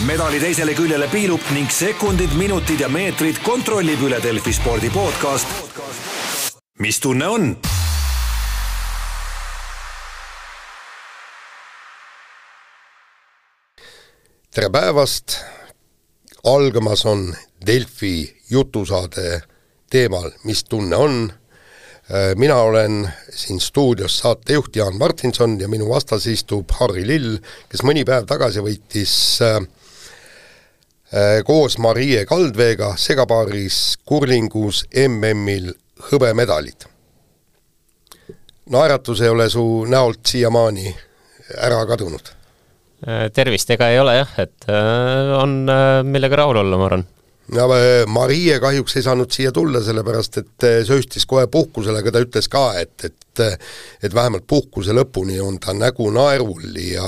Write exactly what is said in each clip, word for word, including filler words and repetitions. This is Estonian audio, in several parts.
medali teisele küljele piilub ning sekundid, minutid ja meetrid kontrollib üle Delfi spordi podcast. Mis tunne on? Tere päevast! Algamas on Delfi jutusaade teemal Mis tunne on? Mina olen siin stuudios saatejuht Jaan Martinson ja minu vastas istub Harri Lill, kes mõni päev tagasi võitis äh, koos Marie Kaldveega segapaaris kurlingus M M-il hõbemedalid. Naeratus ei ole su näolt siiamaani ära kadunud? Tervist ega ei ole jah, et on millega rahul olla, ma arvan. Ja Marie kahjuks ei saanud siia tulla, sellepärast et sööstis kohe puhkusele, aga ta ütles ka, et, et, et vähemalt puhkuse lõpuni on ta nägu naerul ja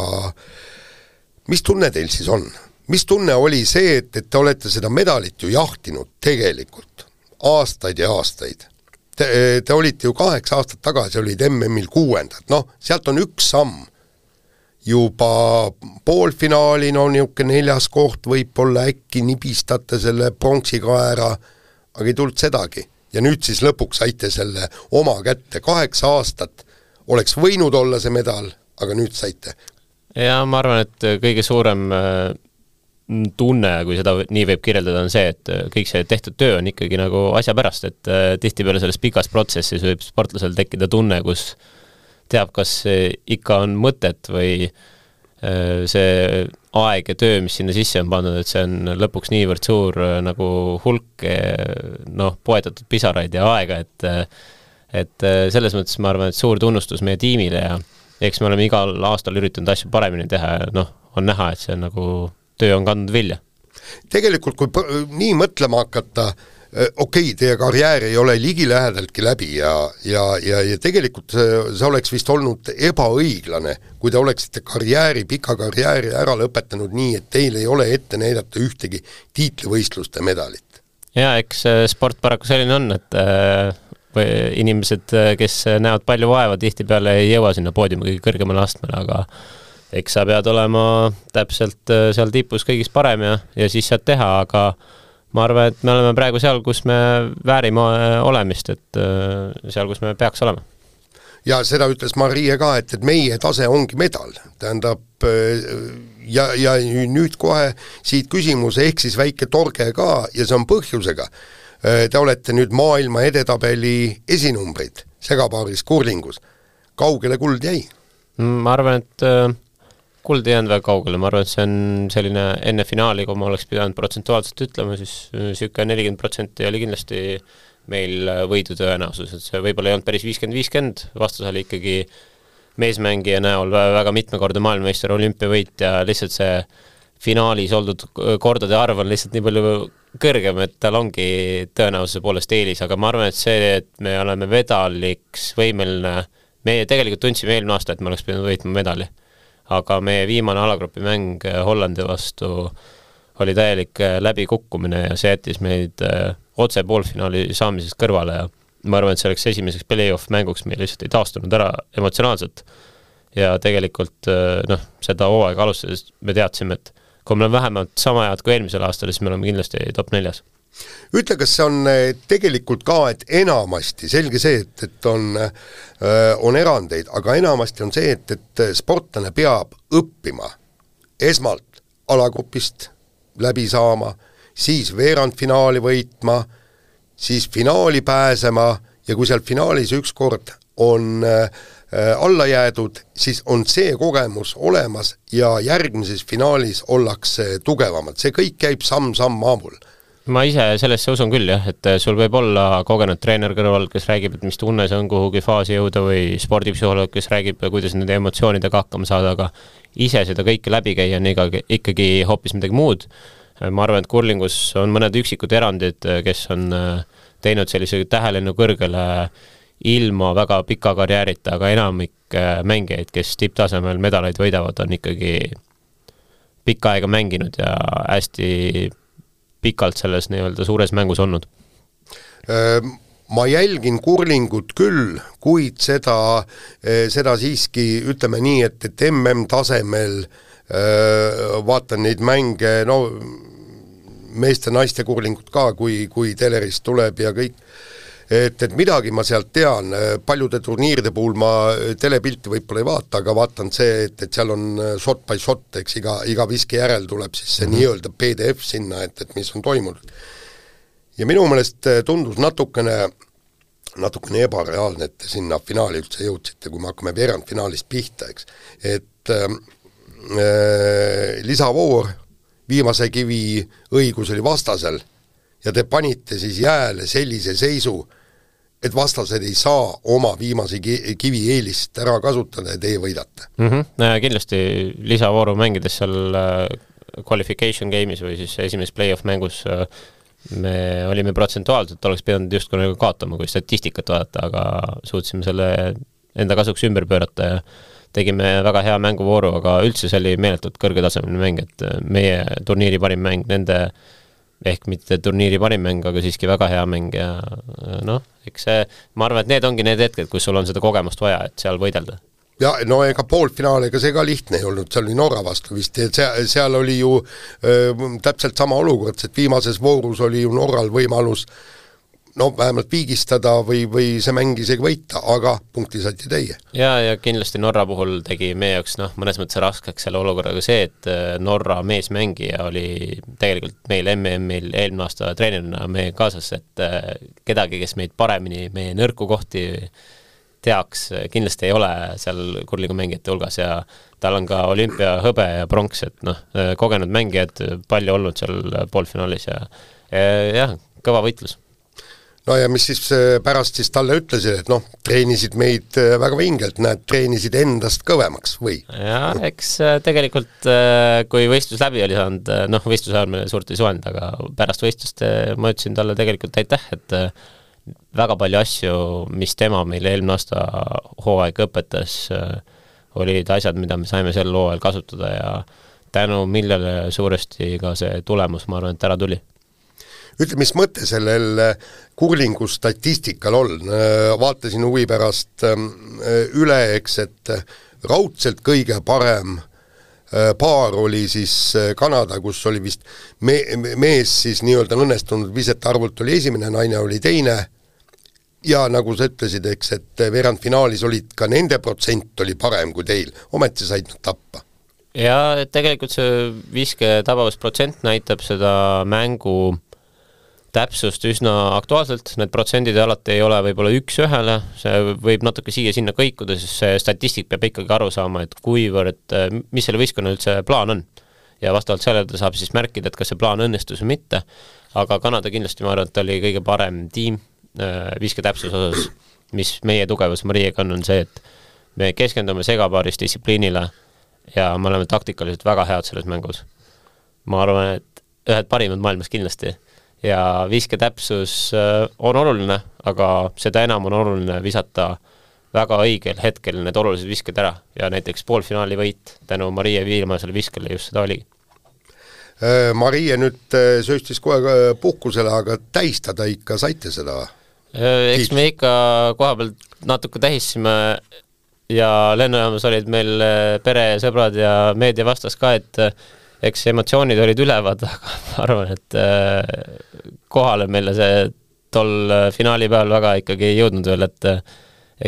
mis tunne teil siis on? Mis tunne oli see, et, et te olete seda medalit ju jahtinud tegelikult aastaid ja aastaid? Te, te olite ju kaheksa aastat tagasi, olid M M-il kuuendad, noh, sealt on üks samm. Juba poolfinaali, no niuke neljas koht, võib-olla äkki nibistate selle pronksikaera, aga ei tulnud sedagi. Ja nüüd siis lõpuks saite selle oma kätte. Kaheksa aastat oleks võinud olla see medal, aga nüüd saite. Ja ma arvan, et kõige suurem tunne, kui seda nii võib kirjeldada, on see, et kõik see tehtud töö on ikkagi nagu asja pärast, et tihtipeale selles pikas protsessis võib sportlasel tekkida tunne, kus teab, kas ikka on mõtet või see aeg ja töö, mis sinna sisse on pandud, et see on lõpuks niivõrd suur nagu hulk noh, poetatud pisaraid ja aega, et, et selles mõttes ma arvan, et suur tunnustus meie tiimile ja eks me oleme igal aastal üritanud asju paremini teha ja noh, on näha, et see nagu töö on kandnud vilja. Tegelikult, kui nii mõtlema hakata, okei, okay, teie karjäär ei ole ligilähedaltki läbi ja, ja, ja, ja tegelikult see oleks vist olnud ebaõiglane, kui te oleksite karjääri, pika karjääri ära lõpetanud nii, et teil ei ole ette näidata ühtegi tiitlivõistluste medalit. Ja eks sport paraku selline on, et või inimesed, kes näevad palju vaeva, tihtipeale ei jõua sinna poodiumi kõige kõrgemale astmele, aga eks sa pead olema täpselt seal tipus kõigist parem ja, ja siis saad teha, aga ma arvan, et me oleme praegu seal, kus me väärime olemist, et seal, kus me peaks olema. Ja seda ütles Marie ka, et, et meie tase ongi medal. Tähendab, ja, ja nüüd kohe siit küsimus ehk siis väike torge ka, ja see on põhjusega. Te olete nüüd maailma edetabeli esinumbrid segapaaris kurlingus. Kaugele kuld jäi? Ma arvan, et kuld ei jäänud väga kaugele, ma arvan, et see on selline enne finaali, kui ma oleks pidanud protsentuaalselt ütlema, siis süüke nelikümmend protsenti oli kindlasti meil võidu tõenäosus, et see võib-olla ei olnud päris viiskümmend viiskümmend, vastus oli ikkagi meesmängija näol väga mitmekordne maailmameister, olümpiavõit ja lihtsalt see finaalis oldud kordade arv on lihtsalt nii palju kõrgem, et tal ongi tõenäosuse poolest eelis, aga ma arvan, et see, et me oleme vedaliks võimeline, me tegelikult tundsime eelmine aasta, et me oleks pidanud võitma medali. Aga meie viimane alagrupi mäng Hollandi vastu oli täielik läbikukkumine ja see jättis meid otse poolfinaali saamisest kõrvale ja ma arvan, et see oleks esimeseks play-off mänguks meil lihtsalt ei taastunud ära emotsionaalselt ja tegelikult noh, seda hooaega alustades me teadsime, et kui me oleme vähemalt sama head kui eelmisel aastal, siis me oleme kindlasti top neljas. Ütle, kas see on tegelikult ka, et enamasti, selge see, et, et on, on erandeid, aga enamasti on see, et, et sportlane peab õppima esmalt alagrupist läbi saama, siis veerandfinaali võitma, siis finaali pääsema ja kui seal finaalis ükskord on alla jäädud, siis on see kogemus olemas ja järgmises finaalis ollakse tugevamad. See kõik käib samm-samm maamul. Ma ise sellesse usun küll jah, et sul võib olla kogenud treener kõrval, kes räägib, et mis tunne see on kuhugi faasi jõuda või spordipsühholoog, kes räägib, kuidas nende emotsioonidega hakkama saada, aga ise seda kõike läbi käia on ikkagi, ikkagi hoopis midagi muud. Ma arvan, et kurlingus on mõned üksikud erandid, kes on teinud sellise tähelennu kõrgele ilma väga pika karjäärita, aga enamik mängijaid, kes tipptasemel medaleid võidavad, on ikkagi pikka aega mänginud ja hästi pikalt selles nii-öelda suures mängus olnud? Ma jälgin kurlingut küll, kuid seda, seda siiski ütleme nii, et, et M M-tasemel vaatan neid mänge, no meeste-naiste kurlingut ka, kui, kui telerist tuleb ja kõik, et, et midagi ma sealt tean, paljude turniiride puhul ma telepilti võib-olla ei vaata, aga vaatan see, et, et seal on shot by shot, eks iga, iga viski järel tuleb siis see mm-hmm. nii-öelda P D F sinna, et, et mis on toimunud. Ja minu meelest tundus natukene natukene ebareaalne, et sinna finaali üldse jõudsite, kui me hakkame veerandfinaalist pihta, eks. Et äh, lisavoor, viimase kivi õigus oli vastasel ja te panite siis jääle sellise seisu, et vastased ei saa oma viimase kivi eelist ära kasutada ja teie võidate. Mm-hmm. Kindlasti lisavooru mängides seal qualification game'is või siis esimeses play-off mängus me olime protsentuaalselt, oleks pidanud just kui kaotama, kui statistikat vaadata, aga suutsime selle enda kasuks ümber pöörata ja tegime väga hea mänguvooru, aga üldse see oli meeletult kõrgetasemeline mäng, et meie turniiri parim mäng, nende ehk mitte turniiri parim mäng, aga siiski väga hea mäng ja noh, eks see, ma arvan, et need ongi need hetked, kus sul on seda kogemust vaja, et seal võidelda. Ja no ega poolfinaal, ega see ka lihtne ei olnud, seal oli Norra vastu vist, et seal, seal oli ju öö, täpselt sama olukord, et viimases voorus oli ju Norral võimalus no vähemalt viigistada või, või see mäng isegi võita, aga punkti saati teie. Ja, ja kindlasti Norra puhul tegi meie jaoks noh, mõnes mõttes raskeks selle olukorraga see, et Norra meesmängija oli tegelikult meil M M-il eelmine aasta treenerina meie kaasas, et kedagi, kes meid paremini, meie nõrku kohti teaks, kindlasti ei ole seal kurlingu mängijate hulgas ja tal on ka olümpia hõbe ja pronks, et noh, kogenud mängijad palju olnud seal poolfinaalis ja, ja jah, kõva võitlus. No ja mis siis pärast siis talle ütlesid, et noh, treenisid meid väga vingelt, näed, treenisid endast kõvemaks või? Ja eks tegelikult, kui võistlus läbi oli saanud, noh, võistluse ajal me suurt ei suhelnud, aga pärast võistlust ma ütlesin talle tegelikult aitäh, et väga palju asju, mis tema meile eelmine aasta hooaeg õpetas, olid asjad, mida me saime sel hooajal kasutada ja tänu millele suuresti ka see tulemus, ma arvan, et ära tuli. Ütle, mis mõte sellel kurlingu statistikal on? Vaatasin huvi pärast üle, eks, et raudselt kõige parem paar oli siis Kanada, kus oli vist me, mees siis nii-öelda õnnestunud visete arvult oli esimene, naine oli teine ja nagu sa ütlesid, eks, et veerandfinaalis olid ka nende protsent oli parem kui teil, ometi said nad tappa. Ja tegelikult see viske tabavusprotsent näitab seda mängu täpsust üsna aktuaalselt, need protsendid alati ei ole võib-olla üks ühele, see võib natuke siia-sinna kõikuda, sest see statistik peab ikkagi aru saama, et kuivõrd, mis selle võistkonna üldse plaan on. Ja vastavalt sellele saab siis märkida, et kas see plaan õnnestus või mitte, aga Kanada kindlasti ma arvan, et oli kõige parem tiim viske täpsus osas, mis meie tugevus Mariega on, on see, et me keskendume segapaaris distsipliinile ja me oleme taktikaliselt väga head selles mängus. Ma arvan, et ühed parimad maailmas kindlasti ja viske täpsus on oluline, aga seda enam on oluline visata väga õigel hetkel need olulised visked ära ja näiteks poolfinaali võit tänu Marie viimasele viskele just seda oligi. Marie nüüd sööstis kohe puhkusele, aga tähistada ikka saite seda? Eks me ikka koha pealt natuke tähisime ja lennujaamas olid meil pere, sõbrad ja meedia vastas ka, et eks emotsioonid olid ülevad, aga ma arvan, et kohale meile see tol finaali peal väga ikkagi ei jõudnud veel, et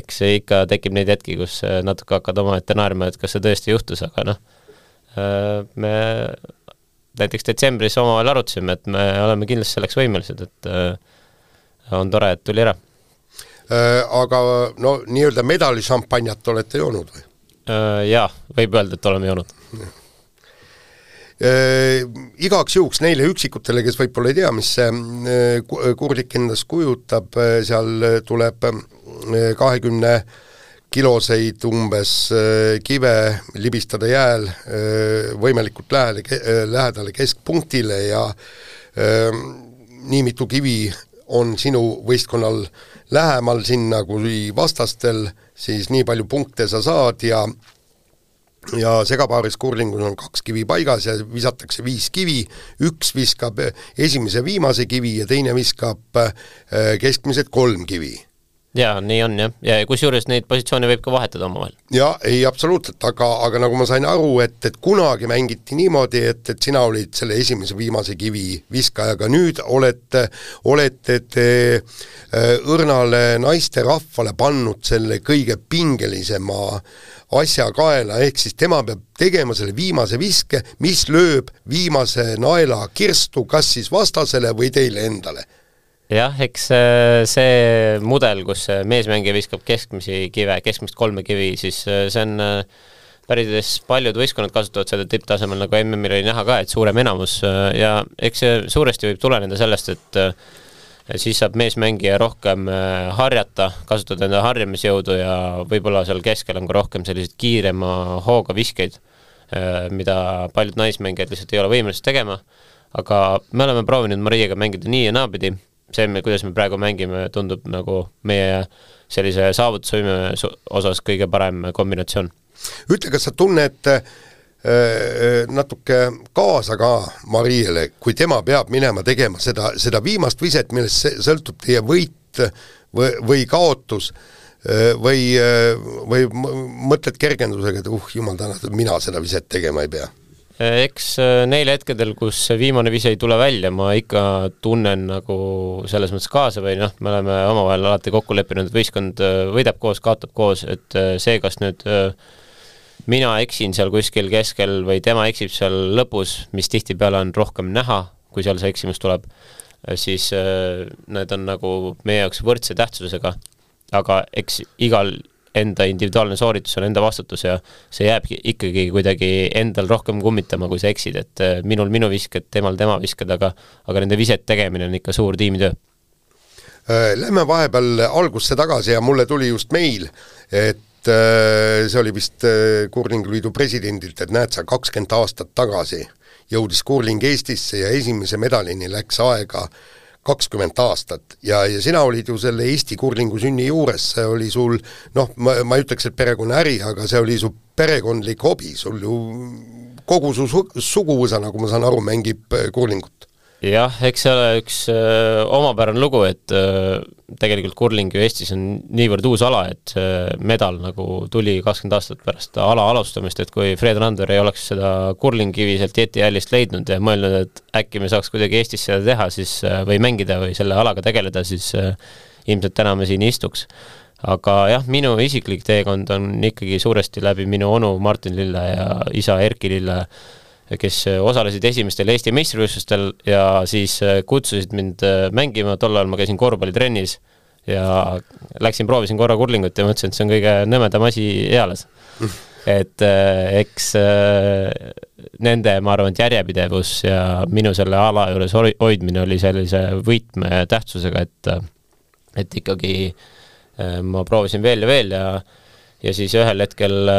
eks ikka tekib neid hetki, kus natuke hakkad oma ette naerma, et kas see tõesti juhtus, aga noh, me näiteks detsembris omavahel arutasime, et me oleme kindlasti selleks võimelised, et on tore, et tuli ära. Aga no nii-öelda medali šampanjat olete joonud või? Jaa, võib öelda, et oleme joonud. Äh, igaks juhuks neile üksikutele, kes võib-olla ei tea, mis see kurlik endas kujutab, seal tuleb kahekümne kiloseid umbes kive libistada jääl võimalikult lähedale, lähedale keskpunktile ja nii mitu kivi on sinu võistkonnal lähemal sinna kui vastastel, siis nii palju punkte sa saad ja ja segapaaris kurlingus on kaks kivi paigas ja visatakse viis kivi, üks viskab esimese viimase kivi ja teine viskab keskmised kolm kivi. Jaa, nii on jah, ja kusjuures neid positsioone võib ka vahetada omavahel. Ja, ei absoluutselt, aga, aga nagu ma sain aru, et, et kunagi mängiti niimoodi, et, et sina olid selle esimese viimase kivi viskajaga, nüüd olete, olete te õrnale naiste rahvale pannud selle kõige pingelisema asja kaela, ehk siis tema peab tegema selle viimase viske, mis lööb viimase naela kirstu, kas siis vastasele või teile endale. Jah, eks see mudel, kus meesmängija viskab keskmisi kive, keskmist kolme kivi, siis see on päris paljud võistkonnad kasutavad seda tipptasemel, nagu M M-il oli näha ka, et suurem enamus ja eks see suuresti võib tuleneda sellest, et siis saab meesmängija rohkem harjata, kasutada enda harjamisjõudu ja võib-olla seal keskel on ka rohkem selliseid kiirema hooga viskeid, mida paljud naismängijad lihtsalt ei ole võimelised tegema, aga me oleme proovinud Mariaga mängida nii ja naapidi. See, kuidas me praegu mängime, tundub nagu meie sellise saavutusvõime osas kõige parem kombinatsioon. Ütle, kas sa tunned äh, natuke kaasa ka Mariele, kui tema peab minema tegema seda, seda viimast viset, millest sõltub teie võit või, või kaotus äh, või, või mõtled kergendusega, et uh, jumal tänatud, mina seda viset tegema ei pea? Eks neil hetkedel, kus viimane vise ei tule välja, ma ikka tunnen nagu selles mõttes kaasa või noh, me oleme omavahel alati kokku leppinud, et võistkond võidab koos, kaotab koos, et see, kas nüüd mina eksin seal kuskil keskel või tema eksib seal lõpus, mis tihtipeale on rohkem näha, kui seal see eksimus tuleb, siis need on nagu meie jaoks võrdse tähtsusega, aga eks igal enda individuaalne sooritus on enda vastutus ja see jääb ikkagi kuidagi endal rohkem kummitama, kui sa eksid, et minul minu visked, temal tema visked, aga, aga nende viset tegemine on ikka suur tiimitöö. Lähme vahepeal algusse tagasi ja mulle tuli just meil, et see oli vist Kurlinguliidu presidendilt, et näed sa kakskümmend aastat tagasi jõudis kurling Eestisse ja esimese medalini läks aega kakskümmend aastat ja, ja sina olid ju selle Eesti kurlingu sünni juures, see oli sul, noh, ma, ma ütleks, et perekonna äri, aga see oli su perekondlik hobi, sul ju kogu su suguvõsa, nagu ma saan aru, mängib kurlingut. Jah, eks see ole üks öö, omapärane lugu, et öö, tegelikult kurling ju Eestis on niivõrd uus ala, et öö, medal nagu tuli kakskümmend aastat pärast ala alustamist, et kui Fred Randver ei oleks seda kurlingkivi sealt Jeti hällist leidnud ja mõelnud, et äkki me saaks kuidagi Eestis seda teha siis, või mängida või selle alaga tegeleda, siis öö, ilmselt täna me siin istuks. Aga jah, minu isiklik teekond on ikkagi suuresti läbi minu onu Martin Lille ja isa Erki Lille, kes osalesid esimestel Eesti meistrivõistlustel ja siis kutsusid mind mängima, tol ajal ma käisin korvpallitrennis ja läksin, proovisin korra kurlingut ja mõtlesin, et see on kõige nõmedam asi eales. Et eks nende, ma arvan, et järjepidevus ja minu selle ala juures hoidmine oli sellise võitme tähtsusega, et, et ikkagi ma proovisin veel ja veel ja, ja siis ühel hetkel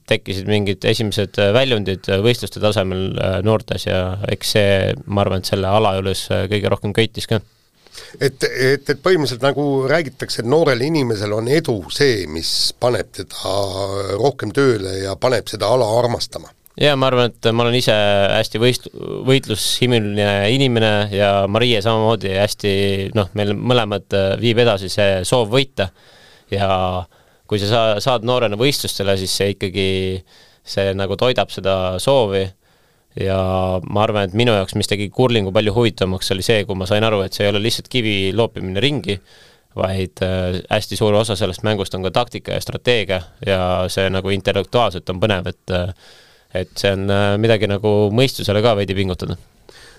tekkisid mingid esimesed väljundid võistluste tasemel noortes ja eks see, ma arvan, et selle ala juures kõige rohkem köitis ka. Et, et, et põhimõtteliselt nagu räägitakse, et noorel inimesel on edu see, mis paneb teda rohkem tööle ja paneb seda ala armastama. Ja ma arvan, et ma olen ise hästi võist, võitlushimiline inimene ja Marie samamoodi hästi, noh, meil mõlemad viib edasi see soov võita ja kui sa saad noorena võistlustele, siis see ikkagi see nagu toidab seda soovi ja ma arvan, et minu jaoks, mis tegi kurlingu palju huvitavamaks, oli see, kui ma sain aru, et see ei ole lihtsalt kivi loopimine ringi, vaid hästi suur osa sellest mängust on ka taktika ja strateegia ja see nagu intellektuaalselt on põnev, et, et see on midagi nagu mõistusele ka veidi pingutada.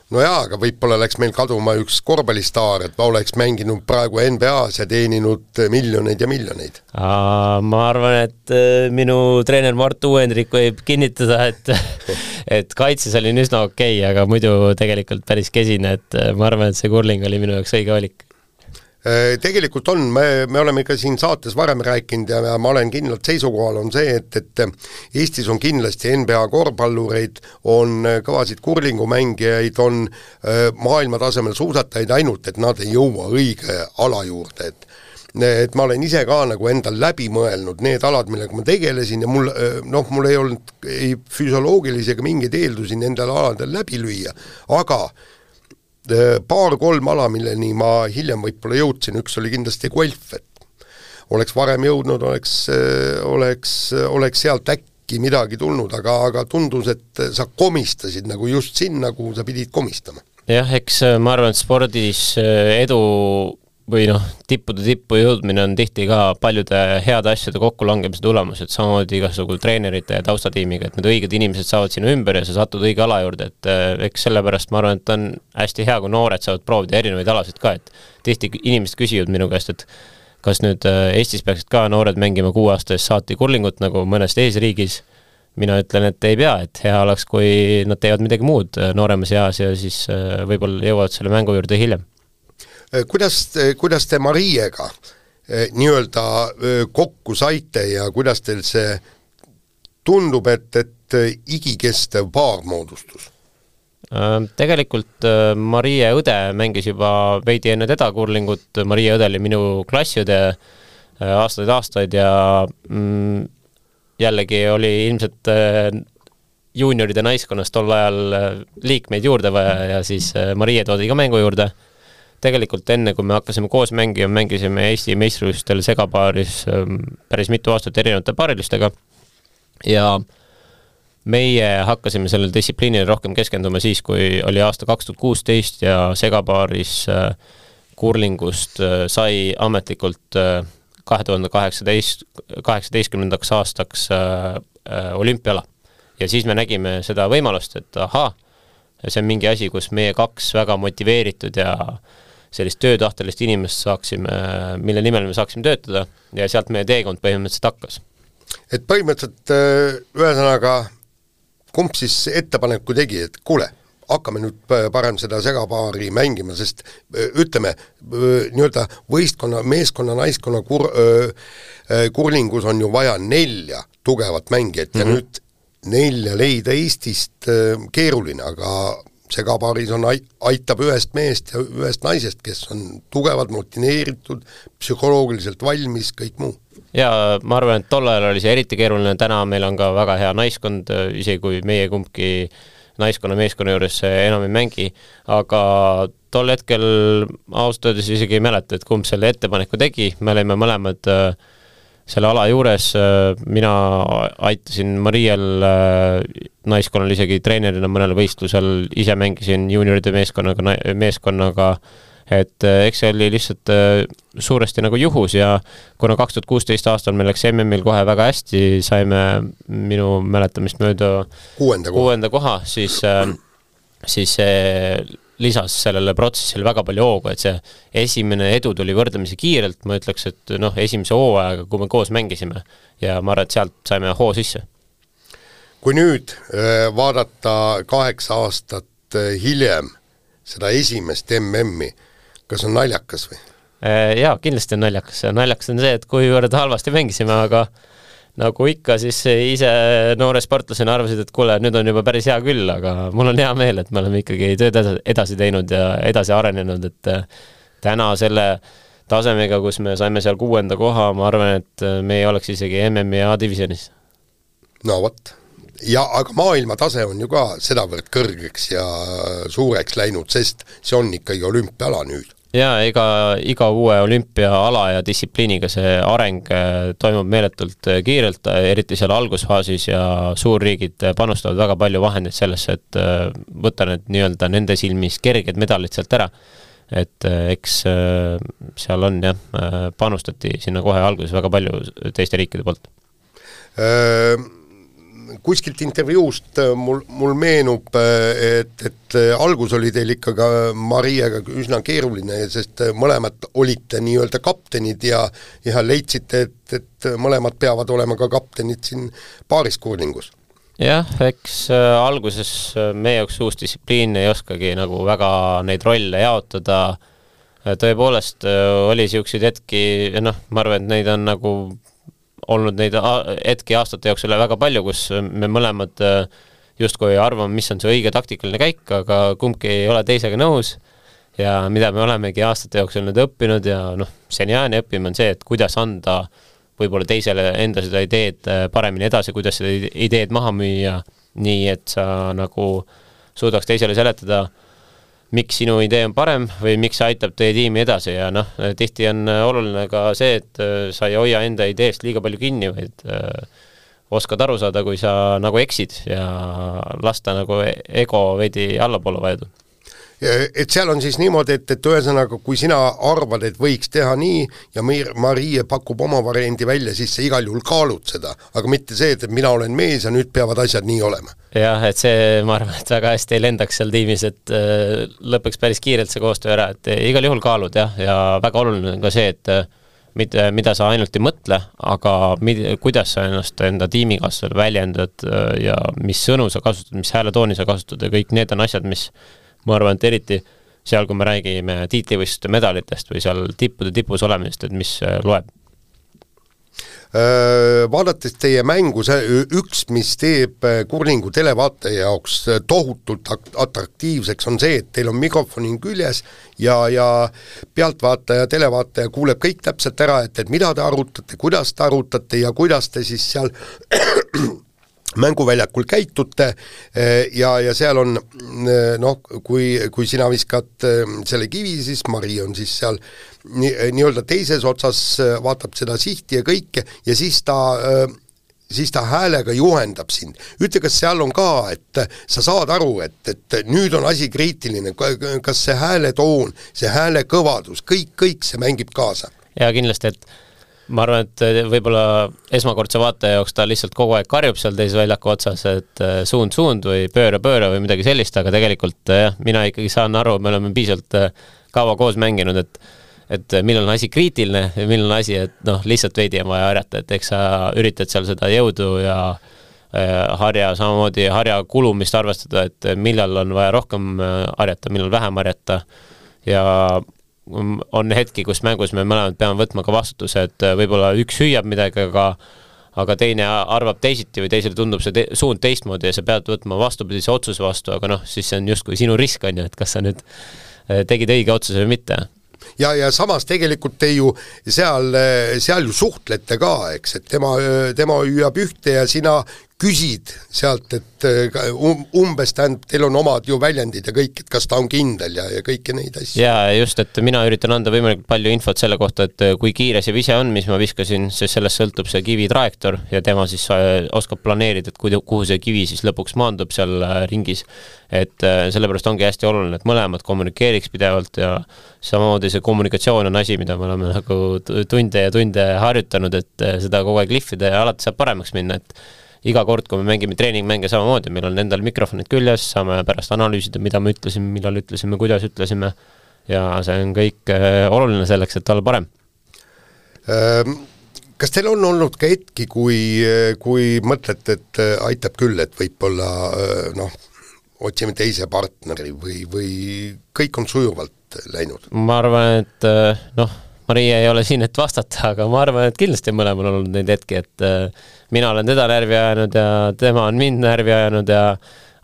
No jaa, aga võib-olla läks meil kaduma üks korvpallistaar, et ma oleks mänginud praegu N B A-s ja teeninud miljoneid ja miljoneid. Ma arvan, et minu treener Mart Uuendrik võib kinnitada, et, et kaitses oli üsna okei, aga muidu tegelikult päris kesine, et ma arvan, et see kurling oli minu jaoks õige valik. Tegelikult on, me, me oleme ka siin saates varem rääkinud ja ma olen kindlalt seisukohal on see, et, et Eestis on kindlasti N B A korvpallureid, on kõvasid kurlingumängijaid, on maailma tasemel suusatajaid, ainult et nad ei jõua õige ala juurde, et et ma olen ise ka nagu endal läbi mõelnud need alad, millega ma tegelesin ja mul, noh, mul ei olnud ei füsioloogilisi ega mingeid eeldusi nendel aladel läbi lüüa, aga paar-kolm ala, milleni ma hiljem võib-olla jõudsin, üks oli kindlasti golf, et oleks varem jõudnud, oleks, oleks, oleks sealt äkki midagi tulnud, aga, aga tundus, et sa komistasid nagu just sinna, kuhu sa pidid komistama. Jah, eks ma arvan, et spordis edu või noh, tippude tippu jõudmine on tihti ka paljude heade asjade kokkulangemise tulemus, et samamoodi igasugul treenerite ja taustatiimiga, et need õiged inimesed saavad sinu ümber ja sa satud õige ala juurde, et eks sellepärast ma arvan, et on hästi hea, kui noored saavad proovida erinevaid alasid ka, et tihti inimesed küsivad minu käest, et kas nüüd Eestis peaksid ka noored mängima kuue aasta eest saati kurlingut nagu mõnes teises riigis. Mina ütlen, et ei pea, et hea oleks, kui nad teevad midagi muud nooremas eas ja siis võib-olla jõuavad selle mängu juurde hiljem. Kuidas, kuidas te Mariega nii-öelda kokku saite ja kuidas teil see tundub, et, et igikestev paar moodustus? Tegelikult Marie õde mängis juba veidi enne teda kurlingut, Marie õde oli minu klassiõde aastaid aastaid ja mm, jällegi oli ilmselt juunioride naiskonnas tol ajal liikmeid juurde vaja ja siis Marie toodi ka mängu juurde. Tegelikult enne, kui me hakkasime koos mängima, mängisime Eesti meistrivõistlustel segapaaris päris mitu aastat erinevate paarilistega ja meie hakkasime sellel distsipliinile rohkem keskenduma siis, kui oli aasta kaks tuhat kuusteist ja segapaaris kurlingust sai ametlikult kahe tuhande kaheksateistkümnendaks aastaks olümpiala. Ja siis me nägime seda võimalust, et aha, see on mingi asi, kus meie kaks väga motiveeritud ja sellist töötahtelist inimest saaksime, mille nimel me saaksime töötada ja sealt meie teekond põhimõtteliselt hakkas. Et põhimõtteliselt ühesõnaga, kumb siis ettepaneku tegi, et kuule, hakkame nüüd parem seda segapaari mängima, sest ütleme, nii-öelda võistkonna, meeskonna, naiskonna kur, kurlingus on ju vaja nelja tugevat mängijat ja mm-hmm. nüüd nelja leida Eestist keeruline, aga segapaaris on, aitab ühest meest ja ühest naisest, kes on tugevad, motiveeritud, psühholoogiliselt valmis, kõik muu. Ja ma arvan, et tol ajal oli see eriti keeruline, täna meil on ka väga hea naiskond, isegi kui meie kumbki naiskonna meeskonna juures enam ei mängi, aga tol hetkel ausalt öeldes isegi ei mäleta, et kumb selle ettepaneku tegi, me olime mõlemad selle ala juures, mina aitasin Mariel naiskonnal isegi treenerina mõnel võistlusel, ise mängisin junioride meeskonnaga, meeskonnaga, et eks see oli lihtsalt suuresti nagu juhus ja kuna kaks tuhat kuusteist aastal meil läks M M-il kohe väga hästi, saime minu mäletamist mööda kuuenda koha, kuuenda koha siis, siis lisas sellele protsessile väga palju hoogu, et see esimene edu tuli võrdlemisi kiirelt, ma ütleks, et noh, esimese hooajaga, kui me koos mängisime ja ma arvan, et sealt saime hoo sisse. Kui nüüd vaadata kaheksa aastat hiljem seda esimest M M-i, kas on naljakas või? Jaa, kindlasti on naljakas. Naljakas on see, et kuivõrd halvasti mängisime, aga nagu ikka, siis ise noore sportlasena arvasid, et kuule, nüüd on juba päris hea küll, aga mul on hea meel, et me oleme ikkagi tööd edasi teinud ja edasi arenenud, et täna selle tasemega, kus me saime seal kuuenda koha, ma arvan, et me ei oleks isegi M M-i ja A-divisionis. No vot. Ja aga maailma tase on ju ka sedavõrd kõrgeks ja suureks läinud, sest see on ikkagi olümpiala nüüd. Ja ega iga uue olümpiaala ja distsipliiniga see areng toimub meeletult kiirelt, eriti seal algusfaasis ja suurriigid panustavad väga palju vahendeid sellesse, et võtta need nii-öelda nende silmis kerged medalid sealt ära. Et eks seal on jah, panustati sinna kohe alguses väga palju teiste riikide poolt. Kuskilt intervjuust mul, mul meenub, et, et algus oli teil ikka ka Mariega üsna keeruline, sest mõlemad olite nii-öelda kaptenid ja, ja leidsite, et, et mõlemad peavad olema ka kaptenid siin paariskurlingus. Jah, eks alguses meie jaoks uus distsipliin ei oskagi nagu väga neid rolle jaotada. Tõepoolest oli siukseid hetki, noh, ma arvan, et neid on nagu olnud neid hetki aastate jooksul väga palju, kus me mõlemad justkui arvame, mis on see õige taktikaline käik, aga kumbki ei ole teisega nõus ja mida me olemegi aastate jooksul nüüd õppinud ja noh, seniaani õppima on see, et kuidas anda võib-olla teisele enda seda ideed paremini edasi, kuidas seda ideed maha müüa, nii et sa nagu suudaks teisele seletada miks sinu idee on parem või miks see aitab teie tiimi edasi ja noh, tihti on oluline ka see, et sa ei hoia enda ideest liiga palju kinni, vaid oskad aru saada, kui sa nagu eksid ja lasta nagu ego veidi allapoole vajuda. Et seal on siis niimoodi, et, et ühesõnaga, kui sina arvad, et võiks teha nii ja Marie pakub oma variandi välja, siis sa igal juhul kaalud seda, aga mitte see, et mina olen mees ja nüüd peavad asjad nii olema. Jah, et see, ma arvan, et väga hästi ei lendaks seal tiimis, et äh, lõpeks päris kiirelt see koostöö ära, et igal juhul kaalud jah, ja väga oluline on ka see, et mitte, mida sa ainult ei mõtle, aga mid, kuidas sa ennast enda tiimikaaslasele väljendad ja mis sõnu sa kasutad, mis hääletooni sa kasutad ja kõik need on asjad, mis ma arvan, et eriti seal, kui me räägime tiitlivõistluste medalitest või seal tippude tipus olemisest, et mis loeb. Vaadates teie mängu, see üks, mis teeb kurlingu televaataja jaoks tohutult atraktiivseks, on see, et teil on mikrofoni küljes ja, ja pealtvaataja, televaataja kuuleb kõik täpselt ära, et, et mida te arutate, kuidas te arutate ja kuidas te siis seal mänguväljakul käitute ja, ja seal on noh, kui, kui sina viskad selle kivi, siis Mari on siis seal nii, nii-öelda teises otsas, vaatab seda sihti ja kõike ja siis ta, siis ta häälega juhendab sind. Ütle, kas seal on ka, et sa saad aru, et, et nüüd on asi kriitiline, kas see hääletoon, see hääle kõvadus, kõik, kõik see mängib kaasa? Ja kindlasti, et ma arvan, et võib-olla esmakordse vaataja jaoks ta lihtsalt kogu aeg karjub seal teise väljaku otsas, et suund, suund või pööra, pööra või midagi sellist, aga tegelikult jah, mina ikkagi saan aru, me oleme piisavalt kaua koos mänginud, et, et millal on asi kriitiline ja millal on asi, et noh, lihtsalt veidi on vaja harjata, et eks sa üritad seal seda jõudu ja harja, samamoodi harja kulumist arvestada, et millal on vaja rohkem harjata, millal vähem harjata ja on hetki, kus mängus me mõlemad peame võtma ka vastutuse, et võib-olla üks hüüab midagi, aga, aga teine arvab teisiti või teisele tundub see te suund teistmoodi ja sa pead võtma vastupidise otsuse vastu, aga noh, siis see on justkui sinu risk on ju, et kas sa nüüd tegid õige otsuse või mitte. Ja, ja samas tegelikult te ju seal, seal ju suhtlete ka, eks, et tema, tema hüüab ühte ja sina küsid sealt, et um, umbes tähendab, teil on omad ju väljendid ja kõik, et kas ta on kindel ja, ja kõiki neid asju. Ja just, et mina üritan anda võimalikult palju infot selle kohta, et kui kiire see vise on, mis ma viskasin, sest sellest sõltub see kivi trajektoor ja tema siis oskab planeerida, et kuhu see kivi siis lõpuks maandub seal ringis. Et sellepärast ongi hästi oluline, et mõlemad kommunikeeriks pidevalt ja samamoodi see kommunikatsioon on asi, mida me oleme nagu tunde ja tunde harjutanud, et seda kogu aeg lihvida ja alati saab paremaks minna, et iga kord, kui me mängime treeningmänge samamoodi, meil on endal mikrofonid küljes, saame pärast analüüsida, mida me ütlesime, millal ütlesime, kuidas ütlesime ja see on kõik oluline selleks, et olla parem. Kas teil on olnud ka hetki, kui, kui mõtlete, et aitab küll, et võib-olla noh, otsime teise partneri või, või kõik on sujuvalt läinud? Ma arvan, et noh, Maria ei ole siin, et vastata, aga ma arvan, et kindlasti mõlemal on olnud neid hetki, et mina olen teda närvi ajanud ja tema on mind närvi ajanud ja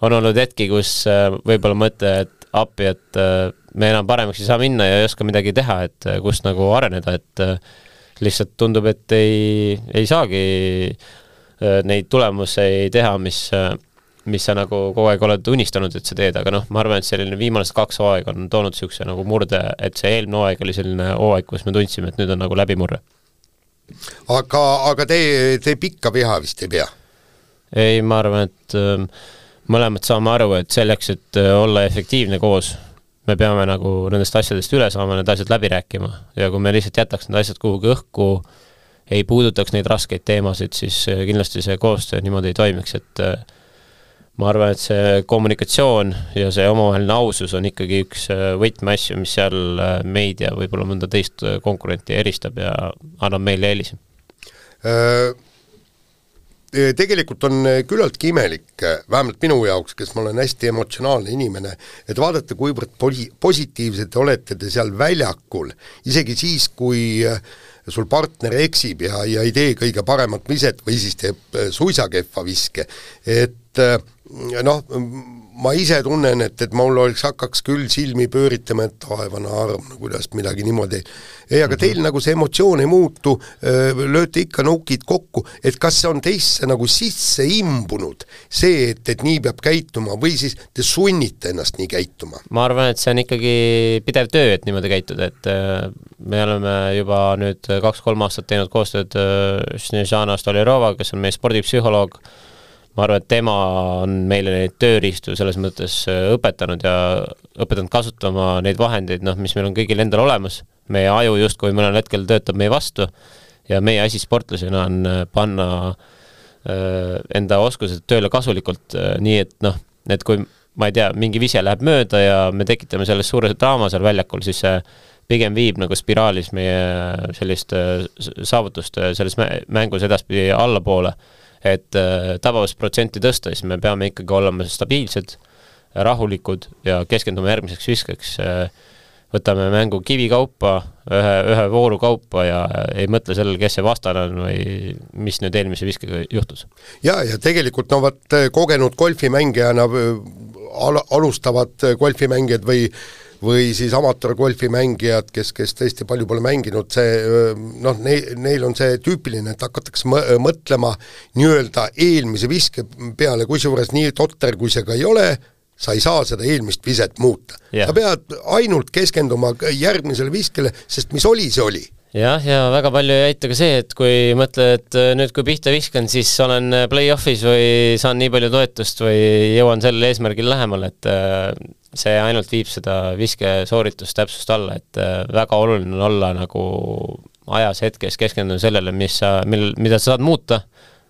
on olnud hetki, kus võib-olla mõte, et appi, et me enam paremaks ei saa minna ja ei oska midagi teha, et kus nagu areneda, et lihtsalt tundub, et ei, ei saagi neid tulemusi teha, mis, mis sa nagu kogu aeg oled unistanud, et sa teed, aga noh, ma arvan, et selline viimased kaks hooaeg on toonud siukse nagu murde, et see eelmine hooaeg oli selline hooaeg, kus me tundsime, et nüüd on nagu läbimurre. Aga, aga te, te pikka viha vist ei pea? Ei, ma arvan, et äh, mõlemad saame aru, et selleks, et äh, olla efektiivne koos, me peame nagu nendest asjadest üle saama, need asjad läbi rääkima ja kui me lihtsalt jätaks need asjad kuhugi õhku, ei puudutaks neid raskeid teemasid, siis äh, kindlasti see koostöö niimoodi ei toimiks, et äh, ma arvan, et see kommunikatsioon ja see omavaheline ausus on ikkagi üks võtmeasju, mis seal meid ja võib-olla mõnda teist konkurenti eristab ja annab meile eelisi. Tegelikult on küllaltki imelik, vähemalt minu jaoks, kes ma olen hästi emotsionaalne inimene, et vaadata, kuivõrd positiivsed olete te seal väljakul, isegi siis, kui sul partner eksib ja, ja ei tee kõige paremat viset või siis teeb suisa kehva viske, et noh, ma ise tunnen, et, et mul oleks hakkaks küll silmi pööritama, et taevana arm, no kuidas midagi niimoodi. Ei, aga teil nagu see emotsioon ei muutu, lööte ikka nukid kokku, et kas see on teisse nagu sisse imbunud, see, et, et nii peab käituma või siis te sunnite ennast nii käituma? Ma arvan, et see on ikkagi pidev töö, et niimoodi käituda, et me oleme juba nüüd kaks-kolm aastat teinud koostööd Snezhana Stoljarova, kes on meie spordipsühholoog. Ma arvan, et tema on meile neid tööriistu selles mõttes õpetanud ja õpetanud kasutama neid vahendeid, noh, mis meil on kõigil endal olemas. Meie aju just, kui mõnel hetkel töötab meie vastu ja meie asi sportlasena on panna enda oskused tööle kasulikult, nii et noh, et kui ma ei tea, mingi vise läheb mööda ja me tekitame sellest suure draama seal väljakul, siis see pigem viib nagu spiraalis meie sellist saavutust selles mängus edaspidi allapoole, et tabavast protsenti tõsta, siis me peame ikkagi olema stabiilsed, rahulikud ja keskendume järgmiseks viskeks. Võtame mängu kivi kaupa, ühe, ühe vooru kaupa ja ei mõtle sellel, kes see vastane on või mis nüüd eelmise viskega juhtus. Ja, ja tegelikult no vaat kogenud golfimängijana al alustavad golfimängijad või või siis amatöörgolfimängijad, kes, kes tõesti palju pole mänginud, see, noh, neil, neil on see tüüpiline, et hakatakse mõtlema nii-öelda eelmise viske peale, kusjuures nii totter, kui see ka ei ole, sa ei saa seda eelmist viset muuta. Yeah. Sa pead ainult keskenduma järgmisele viskele, sest mis oli, see oli. Jah, ja väga palju ei aita ka see, et kui mõtled, et nüüd kui pihta viskan, siis olen play-offis või saan nii palju toetust või jõuan sellele eesmärgil lähemal, et see ainult viib seda viske sooritust täpsust alla, et väga oluline on olla nagu ajas hetkes keskenduda sellele, mis sa, mil, mida sa saad muuta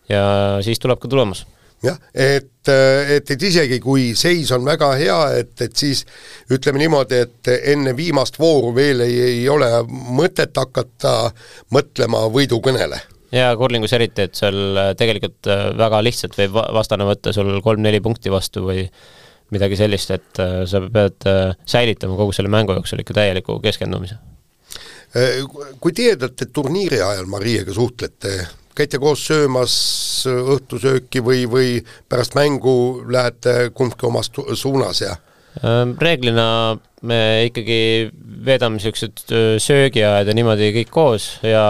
ja siis tuleb ka tulemus. Jah, et, et, et isegi kui seis on väga hea, et, et siis ütleme niimoodi, et enne viimast vooru veel ei, ei ole mõtet hakata mõtlema võidukõnele. Ja kurlingus eriti, et seal tegelikult väga lihtsalt võib vastane võtta sul kolm-neli punkti vastu või midagi sellist, et sa pead säilitama kogu selle mängu jooksul ikka täieliku keskendumise. Kui tiedate turniiri ajal Mariega suhtlete, käite koos söömas õhtusööki või, või pärast mängu lähete kumbki omast suunas ja? Reeglina me ikkagi veedame sellised söögiajad ja niimoodi kõik koos ja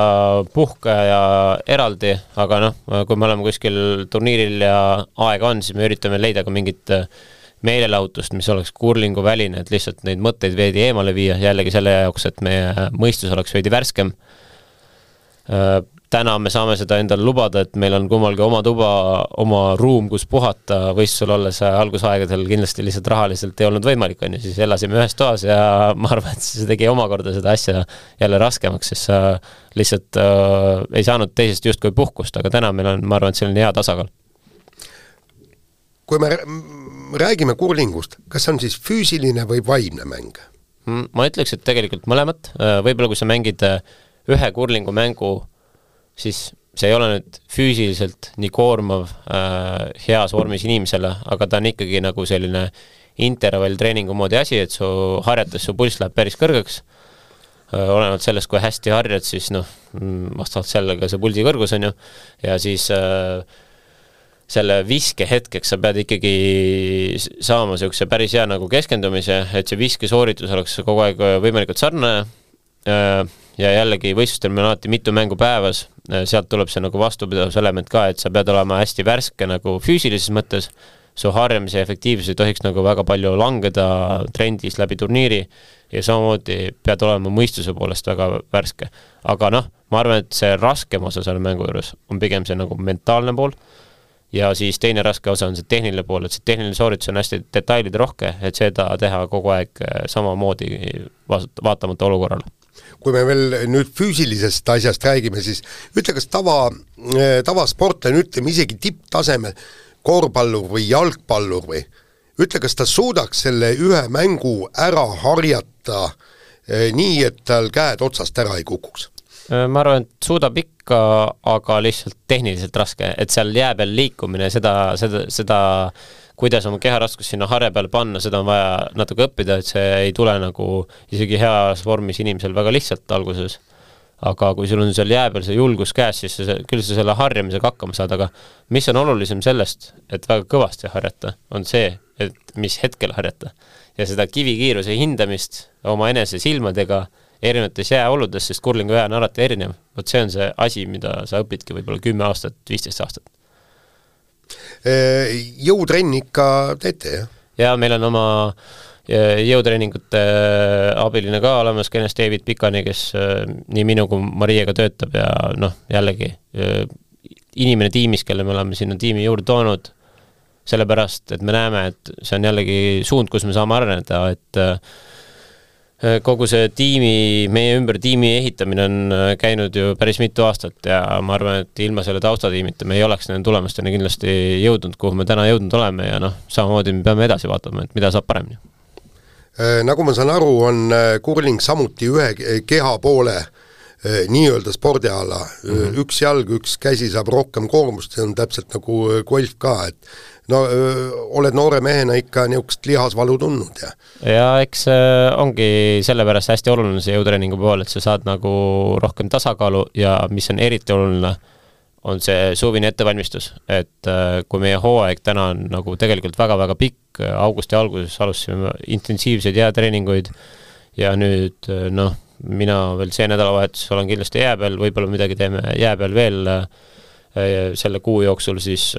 puhka ja eraldi, aga noh, kui me oleme kuskil turniiril ja aega on, siis me üritame leida ka mingit meelelahutust, mis oleks kurlingu väline, et lihtsalt neid mõtteid veidi eemale viia jällegi selle jaoks, et meie mõistus oleks veidi värskem. Täna me saame seda endale lubada, et meil on kummalgi oma tuba, oma ruum, kus puhata, võis sul olla see algusaegadel kindlasti lihtsalt rahaliselt ei olnud võimalik, on ju, siis elasime ühes toas ja ma arvan, et see tegi omakorda seda asja jälle raskemaks, sest sa lihtsalt äh, ei saanud teisest just kui puhkust, aga täna meil on, ma arvan, et selline hea tasakaal. Kui me räägime kurlingust, kas on siis füüsiline või vaimne mäng? Ma ütleks, et tegelikult mõlemat, võib-olla kui sa mängid ühe kurlingu mängu, siis see ei ole nüüd füüsiliselt nii koormav äh, heas vormis inimesele, aga ta on ikkagi nagu selline intervalltreeningu moodi asi, et su harjates su pulss läheb päris kõrgeks. Äh, olenevalt sellest, kui hästi harjad, siis noh, vastavalt sellega see pulsi kõrgus on ju, ja siis äh, selle viske hetkeks sa pead ikkagi saama sellise päris hea nagu keskendumise, et see viske sooritus oleks kogu aeg võimalikult sarnane äh, ja jällegi võistlustel meil on alati mitu mängu päevas, sealt tuleb see nagu vastupidavuselement ka, et sa pead olema hästi värske nagu füüsilises mõttes, su harjamise efektiivsus ei tohiks nagu väga palju langeda trendis läbi turniiri ja samamoodi pead olema mõistuse poolest väga värske. Aga noh, ma arvan, et see raskem osa selle mängu juures on pigem see nagu mentaalne pool ja siis teine raske osa on see tehniline pool, et see tehniline sooritus on hästi detailide rohke, et seda teha kogu aeg samamoodi vaatamata olukorrale. Kui me veel nüüd füüsilisest asjast räägime, siis ütle, kas tava, tavasportlane, ütleme isegi tipptasemel, korvpallur või jalgpallur või, ütle, kas ta suudaks selle ühe mängu ära harjata eh, nii, et tal käed otsast ära ei kukuks? Ma arvan, et suudab ikka, aga lihtsalt tehniliselt raske, et seal jää peal liikumine, seda, seda, seda kuidas oma keharaskust sinna harja peale panna, seda on vaja natuke õppida, et see ei tule nagu isegi heas vormis inimesel väga lihtsalt alguses. aga kui sul on seal jää peal see julgus käes, siis sa, küll sa selle harjamisega hakkama saad, aga mis on olulisem sellest, et väga kõvasti harjata, on see, et mis hetkel harjata. Ja seda kivikiiruse hindamist oma enese silmadega erinevates jääoludes, sest kurlingu jää on alati erinev. Vot see on see asi, mida sa õpidki võib-olla kümme aastat, viisteist aastat. Jõutrenni ikka teete, jah? Ja meil on oma jõutreeningute abiline ka olemas, kenest David Pikani, kes nii minu kui Mariega töötab ja noh, jällegi inimene tiimis, kelle me oleme sinna tiimi juurde toonud, sellepärast, et me näeme, et see on jällegi suund, kus me saame areneda, et kogu see tiimi, meie ümber tiimi ehitamine on käinud ju päris mitu aastat ja ma arvan, et ilma selle taustatiimita me ei oleks nende tulemusteni kindlasti jõudnud, kuhu me täna jõudnud oleme ja noh, samamoodi me peame edasi vaatama, et mida saab paremini. Nagu ma saan aru, on kurling samuti ühe keha poole nii-öelda spordiala. Mm-hmm. Üks jalg, üks käsi saab rohkem koormust, see on täpselt nagu golf ka, et no öö, oled noore mehena ikka niisugust lihasvalu tundnud, ja? Ja eks ongi sellepärast hästi oluline see jõutreeningu pool, et sa saad nagu rohkem tasakaalu ja mis on eriti oluline, on see suvine ettevalmistus, et kui meie hooaeg täna on nagu tegelikult väga-väga pikk, augusti alguses alustasime intensiivseid jäätreeninguid ja nüüd noh, mina veel see nädalavahetus olen kindlasti jää peal, võib-olla midagi teeme jää peal veel selle kuu jooksul, siis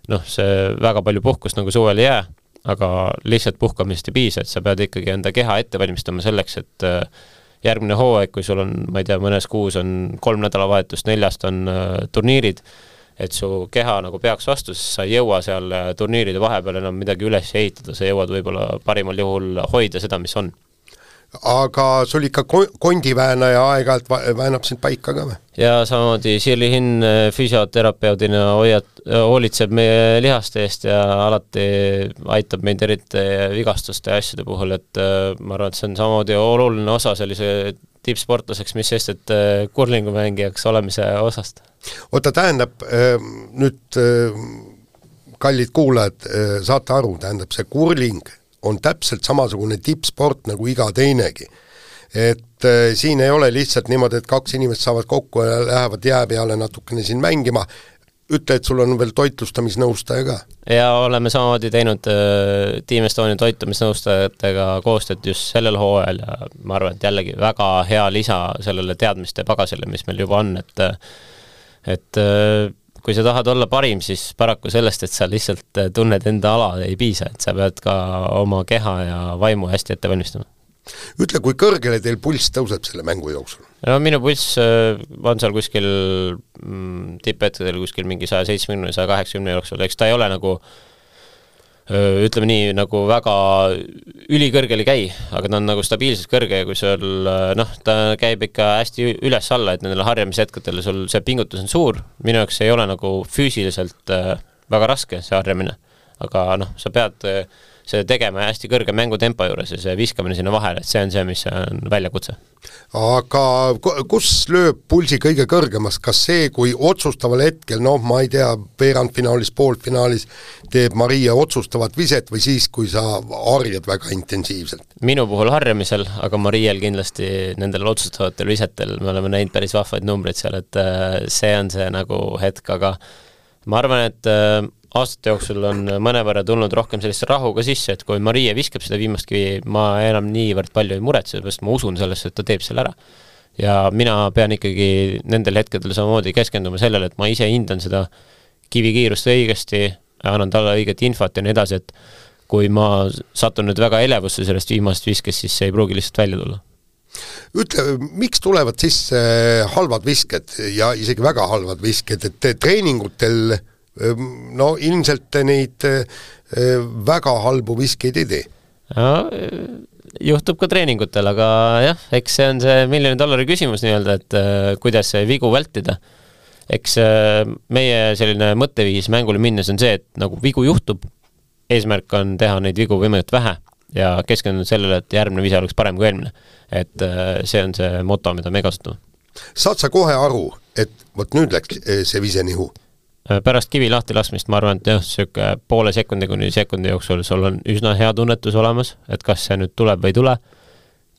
noh, see väga palju puhkust nagu suvel jää, aga lihtsalt puhkamist ei piisa, et sa pead ikkagi enda keha ette valmistama selleks, et järgmine hooaeg, kui sul on, ma ei tea, mõnes kuus on kolm nädalavahetust, neljast on turniirid, et su keha nagu peaks vastu, siis sa ei jõua seal turniiride vahepeal enam midagi üles ehitada, sa jõuad võib-olla parimal juhul hoida seda, mis on. Aga sul ikka kondiväänaja aeg-ajalt väänab sind paika ka või? Ja samamoodi Shirley Hinn füsioterapeudina hoiad, hoolitseb meie lihaste eest ja alati aitab meid eriti vigastuste ja asjade puhul, et ma arvan, et see on samamoodi oluline osa sellise tippsportlaseks, mis sest, et kurlingumängijaks olemise osast. Oota, tähendab, nüüd kallid kuulajad, saate aru, tähendab see kurling on täpselt samasugune tippsport nagu iga teinegi. Et äh, siin ei ole lihtsalt niimoodi, et kaks inimest saavad kokku ja lähevad jää peale natukene siin mängima. Ütle, et sul on veel toitlustamisnõustaja ka. Ja oleme samamoodi teinud äh, Team Estonia toitumisnõustajatega koostööd just sellel hooajal ja ma arvan, et jällegi väga hea lisa sellele teadmiste pagasile, mis meil juba on, et, et äh, kui sa tahad olla parim, siis paraku sellest, et sa lihtsalt tunned enda ala ei piisa, et sa pead ka oma keha ja vaimu hästi ette valmistama. Ütle, kui kõrgele teil pulss tõuseb selle mängu jooksul? No minu pulss on seal kuskil mm, tipphetkedel kuskil mingi sada seitsemänkümmend sada kaheksakümmend jooksul, eks ta ei ole nagu ütleme nii, nagu väga ülikõrgel ei käi, aga ta on nagu stabiilselt kõrge ja kui sul, noh, ta käib ikka hästi üles alla, et nendele harjamishetkedele sul see pingutus on suur, minu jaoks ei ole nagu füüsiliselt väga raske see harjamine, aga noh, sa pead see tegema hästi kõrge mängutempo juures ja see viskamine sinna vahele, et see on see, mis on väljakutse. Aga kus lööb pulsi kõige kõrgemast? Kas see, kui otsustaval hetkel, noh, ma ei tea, veerandfinaalis, poolfinaalis teeb Maria otsustavat viset või siis, kui sa harjad väga intensiivselt? Minu puhul harjamisel, aga Mariel kindlasti nendel otsustavatel visetel me oleme näinud päris vahvaid numbreid seal, et see on see nagu hetk, aga ma arvan, et aastate jooksul on mõnevõrra tulnud rohkem sellist rahuga sisse, et kui Maria viskab seda viimast kivi, ma enam niivõrd palju ei muretse, sest ma usun sellesse, et ta teeb selle ära. Ja mina pean ikkagi nendel hetkedel samamoodi keskenduma sellele, et ma ise hindan seda kivikiirust õigesti, annan talle õiget infot ja nii edasi, et kui ma satun nüüd väga elevusse sellest viimast viskest, siis see ei pruugi lihtsalt välja tulla. Ütle, miks tulevad sisse halvad visked ja isegi väga halvad visked, et treeningutel no ilmselt neid väga halbu viskeid ei tee. No, juhtub ka treeningutel, aga jah, eks see on see miljoni dollari küsimus nii-öelda, et kuidas vigu vältida. Eks meie selline mõtteviis mängule minnes on see, et nagu vigu juhtub, eesmärk on teha neid vigu võimalikult vähe ja keskendunud sellele, et järgmine vise oleks parem kui eelmine. Et see on see moto, mida me kasutame. Saad sa kohe aru, et võt nüüd läks see vise nihu? Pärast kivi lahti laskmist ma arvan, et jah, sööke poole sekundi kuni sekundi jooksul sul on üsna hea tunnetus olemas, et kas see nüüd tuleb või ei tule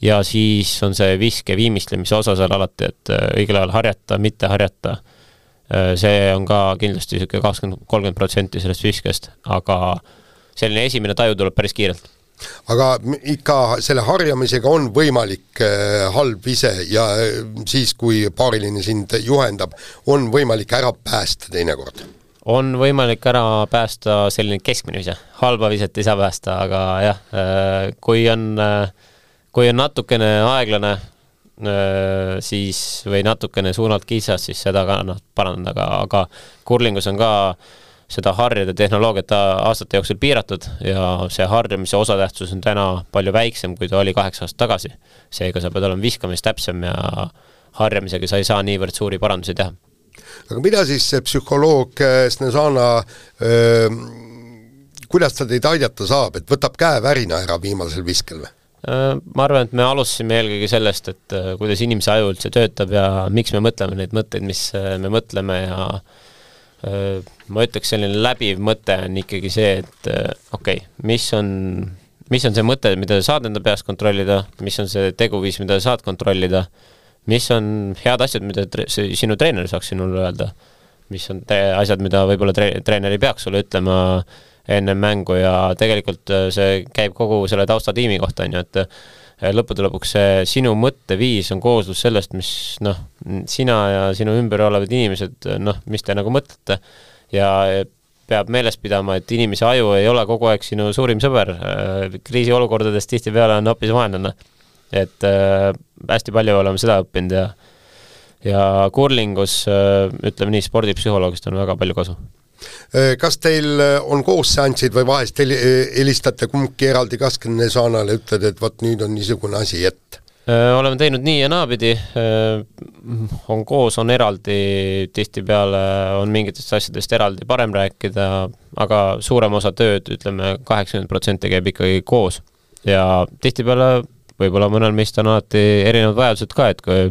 ja siis on see viske viimistlemise osa seal alati, et õigel ajal harjata, mitte harjata. See on ka kindlasti kakskümmend kolmkümmend protsenti sellest viskest, aga selline esimene taju tuleb päris kiirelt. Aga ikka selle harjamisega on võimalik halb vise ja siis, kui paariline sind juhendab, on võimalik ära päästa teinekord? On võimalik ära päästa selline keskmine vise. Halba viset ei saa päästa, aga jah, kui on, kui on natukene aeglane, siis või natukene suunalt kitsas, siis seda ka noh, parandada, aga, aga kurlingus on ka seda harjade tehnoloogiat aastate jooksul piiratud ja see harjamise osatähtsus on täna palju väiksem, kui ta oli kaheksa aastat tagasi. Seega sa pead olema viskamis täpsem ja harjamisega sa ei saa niivõrd suuri parandusi teha. Aga mida siis see psühholoog Snežana, kuidas ta teid aidata saab, et võtab käe värina ära viimasel viskel või? Ma arvan, et me alustasime eelkõige sellest, et kuidas inimese aju üldse töötab ja miks me mõtleme neid mõtteid, mis me mõtleme ja ma ütleks selline läbiv mõte on ikkagi see, et okei, okay, mis on, mis on see mõte, mida saad enda peast kontrollida, mis on see teguviis, mida saad kontrollida, mis on head asjad, mida tre- sinu treener saaks sinule öelda, mis on te- asjad, mida võib-olla tre- treener ei peaks sulle ütlema enne mängu ja tegelikult see käib kogu selle taustatiimi kohta, on ju, et lõppude lõpuks see sinu mõtteviis on kooslus sellest, mis noh, sina ja sinu ümber olevad inimesed, noh, mis te nagu mõtlete ja peab meeles pidama, et inimese aju ei ole kogu aeg sinu suurim sõber, kriisiolukordades tihti peale on hoopis vaenlane. Et äh, hästi palju oleme seda õppinud ja, ja kurlingus, äh, ütleme nii, spordipsühholoogist on väga palju kasu. Kas teil on koos seansid või vahest helistate kumbki eraldi Snežanale, ütled, et võt nüüd on niisugune asi ette? Äh, oleme teinud nii ja naapidi, äh, on koos, on eraldi, tihti peale on mingitest asjadest eraldi parem rääkida, aga suurem osa tööd, ütleme kaheksakümmend protsenti käib ikkagi koos ja tihti peale võib-olla mõnel meist on alati erinevad vajadused ka, et kui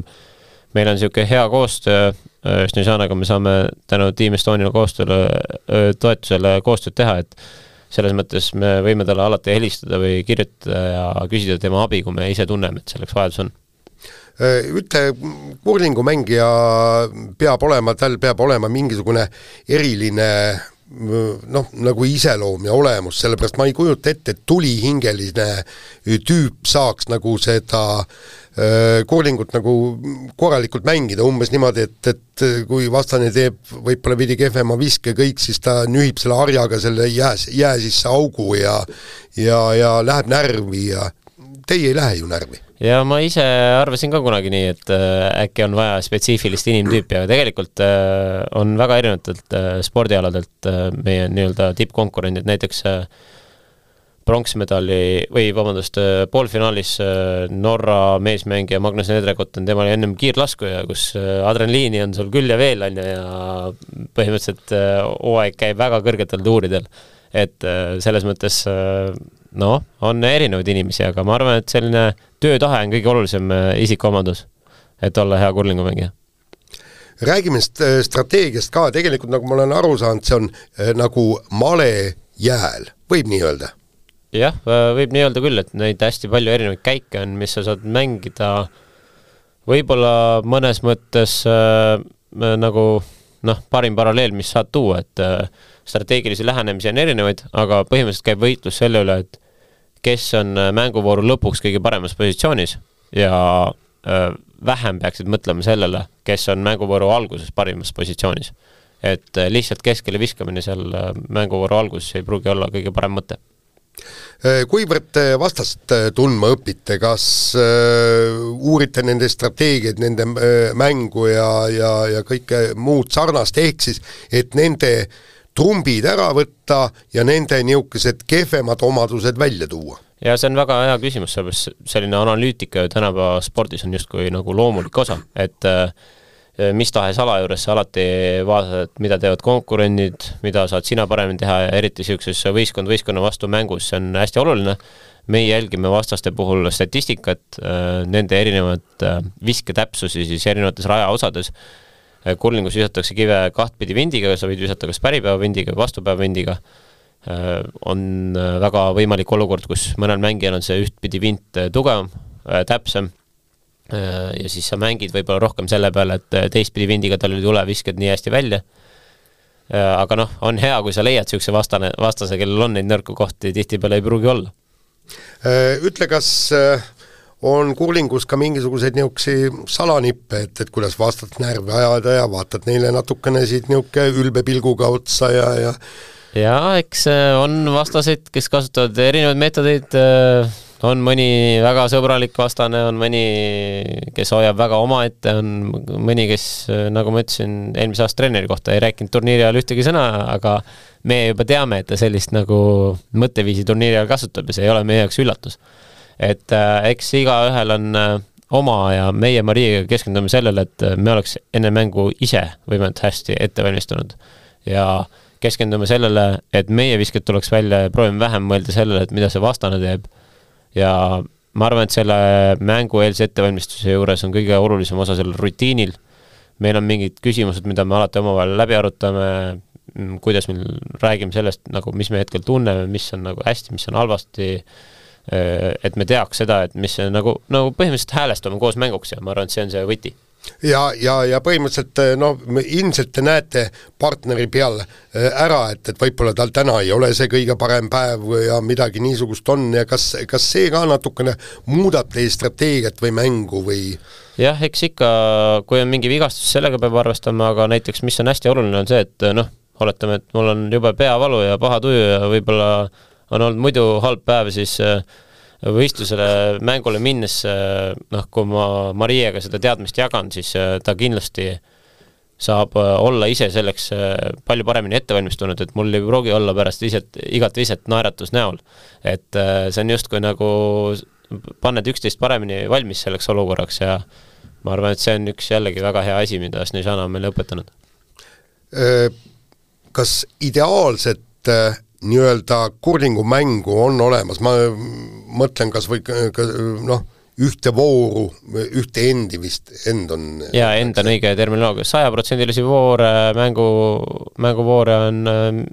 meil on niisugune hea koostöö Snežanaga, me saame tänu Team Estonia koostööle, toetusele koostööd teha, et selles mõttes me võime talle alati helistada või kirjutada ja küsida tema abi, kui me ise tunneme, et selleks vajadus on. Ütle, kurlingumängija peab olema, tal peab olema mingisugune eriline noh, nagu iseloom ja olemus, sellepärast ma ei kujuta ette, et tulihingeline tüüp saaks nagu seda äh, kurlingut nagu korralikult mängida, umbes niimoodi, et, et kui vastane teeb võib-olla veidi kehvema viske kõik, siis ta nühib selle harjaga selle jää, jää sisse augu ja, ja, ja läheb närvi ja teie ei lähe ju närvi. Ja ma ise arvasin ka kunagi nii, et äh, äkki on vaja spetsiifilist inimtüüpi, aga tegelikult äh, on väga erinevatelt äh, spordialadelt äh, meie nii-öelda tippkonkurendid, näiteks äh, pronksmedali või vabandust, äh, poolfinaalis äh, Norra meesmängija Magnus Nedrekott on temal ennem kiirlaskuja, kus äh, adrenaliini on sul küll ja veel on ja põhimõtteliselt äh, hooaeg käib väga kõrgetel tuuridel, et äh, selles mõttes äh, no, on erinevaid inimesi, aga ma arvan, et selline töötahe on kõige olulisem isikuomadus, et olla hea kurlingumängija. Räägime strateegiast ka, tegelikult nagu ma olen aru saanud, see on äh, nagu male jääl, võib nii öelda? Jah, võib nii öelda küll, et neid hästi palju erinevaid käike on, mis sa saad mängida võib-olla mõnes mõttes äh, nagu noh, parim paralleel, mis saad tuua, et äh, strateegilisi lähenemisi on erinevaid, aga põhimõtteliselt käib võitlus selle üle, et kes on mänguvooru lõpuks kõige paremas positsioonis ja äh, vähem peaksid mõtlema sellele, kes on mänguvooru alguses parimas positsioonis. Et äh, lihtsalt keskele viskamine seal äh, mänguvooru alguses ei pruugi olla kõige parem mõte. Kuivõrd vastast tundma õpite, kas äh, uurite nende strateegiaid, nende äh, mängu ja, ja, ja kõike muud sarnast, ehk siis, et nende trumbid ära võtta ja nende niisugused kehvemad omadused välja tuua? Ja see on väga hea küsimus, sellepärast selline analüütika tänapäeva spordis on justkui nagu loomulik osa, et äh, mis tahes ala juures sa alati vaatad, mida teevad konkurendid, mida saad sina paremini teha ja eriti niisuguses võistkond võistkonna vastu mängus, see on hästi oluline. Meie jälgime vastaste puhul statistikat, äh, nende erinevad äh, visketäpsusi siis erinevates rajaosades. Kurlingus visatakse kive kahtpidi vindiga, sa võid visata kas päripäeva vindiga või vastupäeva vindiga. On väga võimalik olukord, kus mõnel mängijal on see ühtpidi vint tugevam, äh, täpsem äh, ja siis sa mängid võib-olla rohkem selle peale, et teistpidi vindiga tal ei tule viskad nii hästi välja. Äh, aga noh, on hea, kui sa leiad siukse vastane, vastase, kellel on neid nõrku kohti, tihti peale ei pruugi olla. Ütle, kas on kurlingus ka mingisuguseid niuksi salanippe, et, et kuidas vastad närvi ajada ja vaatad neile natukene siit niuke ülbe pilguga otsa ja, ja ja eks on vastaseid, kes kasutavad erinevaid meetodeid, on mõni väga sõbralik vastane, on mõni, kes hoiab väga omaette, on mõni, kes, nagu ma ütlesin, eelmise aasta treeneri kohta ei rääkinud turniiri ajal ühtegi sõna, aga me juba teame, et ta sellist nagu mõtteviisi turniiri ajal kasutab ja see ei ole meie jaoks üllatus. Et äh, eks igaühel on äh, oma ja meie Mariaga keskendume sellele, et me oleks enne mängu ise võimelt hästi ette valmistunud ja keskendume sellele, et meie visked tuleks välja ja proovime vähem mõelda sellele, et mida see vastane teeb. Ja ma arvan, et selle mängu eelse ettevalmistuse juures on kõige olulisem osa sellel rutiinil. Meil on mingid küsimused, mida me alati omavahel läbi arutame, kuidas me räägime sellest, nagu, mis me hetkel tunneme, mis on nagu hästi, mis on halvasti, et me teaks seda, et mis on nagu, nagu põhimõtteliselt häälestame koos mänguks ja ma arvan, et see on see võti. Ja, ja, ja põhimõtteliselt no, ilmselt te näete partneri peal ära, et, et võib-olla tal täna ei ole see kõige parem päev ja midagi niisugust on ja kas, kas see ka natukene muudab teie strateegiat või mängu või? Jah, eks ikka, kui on mingi vigastus, sellega peab arvestama, aga näiteks mis on hästi oluline on see, et noh, oletame, et mul on juba peavalu ja paha tuju ja võib-olla on olnud muidu halb päev, siis võistlusele mängule minnes, noh, kui ma Mariaga seda teadmist jagan, siis ta kindlasti saab olla ise selleks palju paremini ettevalmistunud, et mul ei pruugi olla pärast iset, igat viset naeratus näol. Et see on just kui nagu panned üksteist paremini valmis selleks olukorraks ja ma arvan, et see on üks jällegi väga hea asi, mida Snežana on meile õpetanud. Kas ideaalset nii-öelda kurlingu mängu on olemas, ma mõtlen kas või noh, ühte vooru, ühte endi vist, end on ja end on õige terminoloogia, sajaprotsendilisi voore, mängu, mänguvoore on,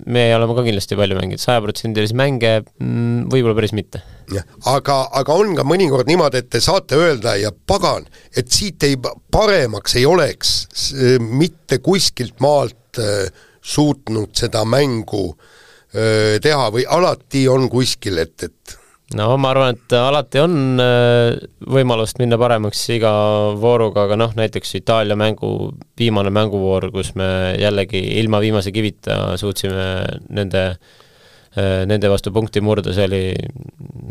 me oleme ka kindlasti palju mänginud, sajaprotsendilisi mänge võib-olla päris mitte. Ja, aga, aga on ka mõnikord niimoodi, et te saate öelda ja pagan, et siit ei paremaks ei oleks mitte kuskilt maalt suutnud seda mängu teha või alati on kuskil, et, et no ma arvan, et alati on võimalust minna paremaks iga vooruga, aga noh, näiteks Itaalia mängu, viimane mänguvoor, kus me jällegi ilma viimase kivita suutsime nende, nende vastu punkti murda, see oli,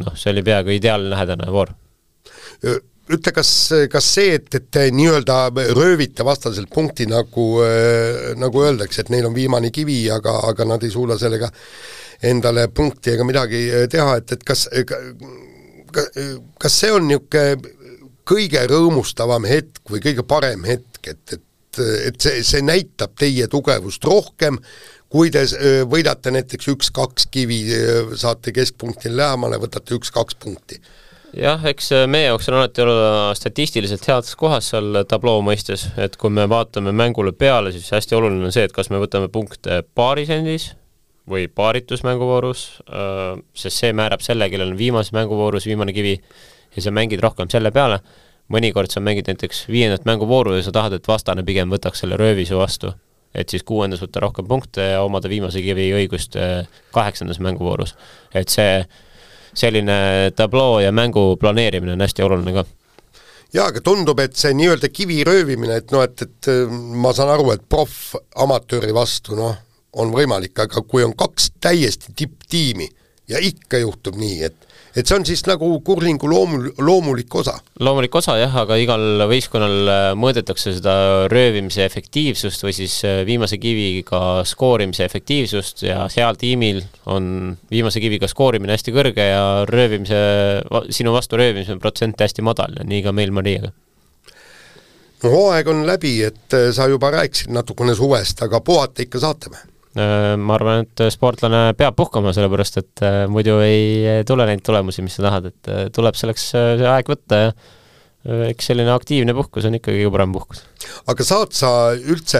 noh, see oli peaaegu ideaalne lähedane voor. Ütle, kas, kas see, et, et nii-öelda röövite vastaselt punkti, nagu, nagu öeldakse, et neil on viimane kivi, aga, aga nad ei suuda sellega endale punkti ega midagi teha, et, et kas, kas see on niisugune kõige rõõmustavam hetk või kõige parem hetk, et, et, et see, see näitab teie tugevust rohkem, kui te võidate näiteks üks-kaks kivi, saate keskpunktil lähemale, võtate üks-kaks punkti? Jah, eks meie jaoks on alati olla statistiliselt heades kohas seal tabloo mõistes, et kui me vaatame mängule peale, siis hästi oluline on see, et kas me võtame punkte paarisendis või paaritus mänguvoorus, sest see määrab selle, kellel on viimase mänguvoorus viimane kivi ja sa mängid rohkem selle peale. Mõnikord sa mängid näiteks viiendat mänguvooru ja sa tahad, et vastane pigem võtaks selle röövisu vastu, et siis kuuendas võtta rohkem punkte ja omada viimase kivi õigust kaheksandas mänguvoorus. Et see selline tabloo ja mängu planeerimine on hästi oluline ka. Jaa, aga tundub, et see nii-öelda kivi röövimine, et, no, et, et ma saan aru, et proff amatööri vastu no, on võimalik, aga kui on kaks täiesti tipptiimi ja ikka juhtub nii, et, et see on siis nagu kurlingu loomul, loomulik osa. Loomulik osa jah, aga igal võistkonnal mõõdetakse seda röövimise efektiivsust või siis viimase kiviga skoorimise efektiivsust ja seal tiimil on viimase kiviga skoorimine hästi kõrge ja röövimise, sinu vastu röövimise protsent hästi madal ja nii ka meil Mariaga. No hooaeg on läbi, et sa juba rääkisid natukene suvest, aga puhata ikka saate me? Ma arvan, et sportlane peab puhkama, sellepärast, et muidu ei tule neid tulemusi, mis sa tahad, et tuleb selleks see aeg võtta ja eks selline aktiivne puhkus on ikkagi kõige parem puhkus. Aga saad sa üldse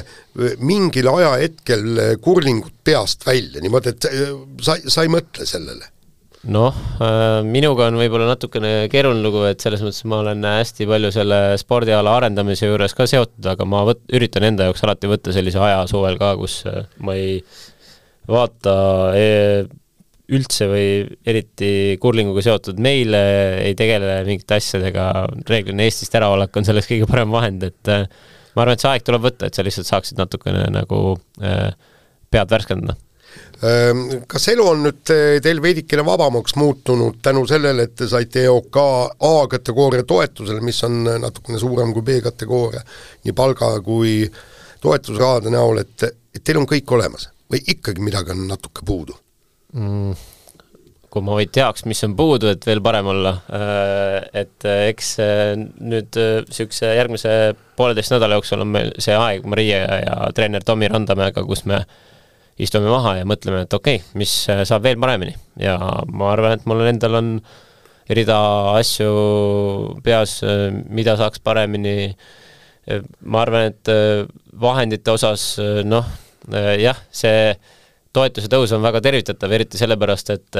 mingil aja hetkel kurlingut peast välja, niimoodi, et sa, sa ei mõtle sellele? Noh, minuga on võib-olla natukene keeruline lugu, et selles mõttes ma olen hästi palju selle spordiala arendamise juures ka seotud, aga ma võt, üritan enda jaoks alati võtta sellise aja suvel ka, kus ma ei vaata üldse või eriti kurlinguga seotud meile, ei tegele mingite asjadega, reeglina Eestist äraolek on selleks kõige parem vahend, et ma arvan, et see aeg tuleb võtta, et sa lihtsalt saaksid natukene nagu pead värskendada. Kas elu on nüüd teil veidikene vabamaks muutunud tänu sellele, et te saite E O K A-kategooria toetusele, mis on natukene suurem kui B-kategooria, nii palga kui toetusrahade näol, et, et teil on kõik olemas või ikkagi midagi on natuke puudu? Mm, kui ma vaid teaks, mis on puudu, et veel parem olla, et eks nüüd sükse järgmise pooleteist nädala jooksul on meil see aeg Marie ja treener Tomi Randamäega, kus me istume maha ja mõtleme, et okei, okay, mis saab veel paremini ja ma arvan, et mul endal on rida asju peas, mida saaks paremini. Ma arvan, et vahendite osas, noh, jah, see toetuse tõus on väga tervitatav, eriti sellepärast, et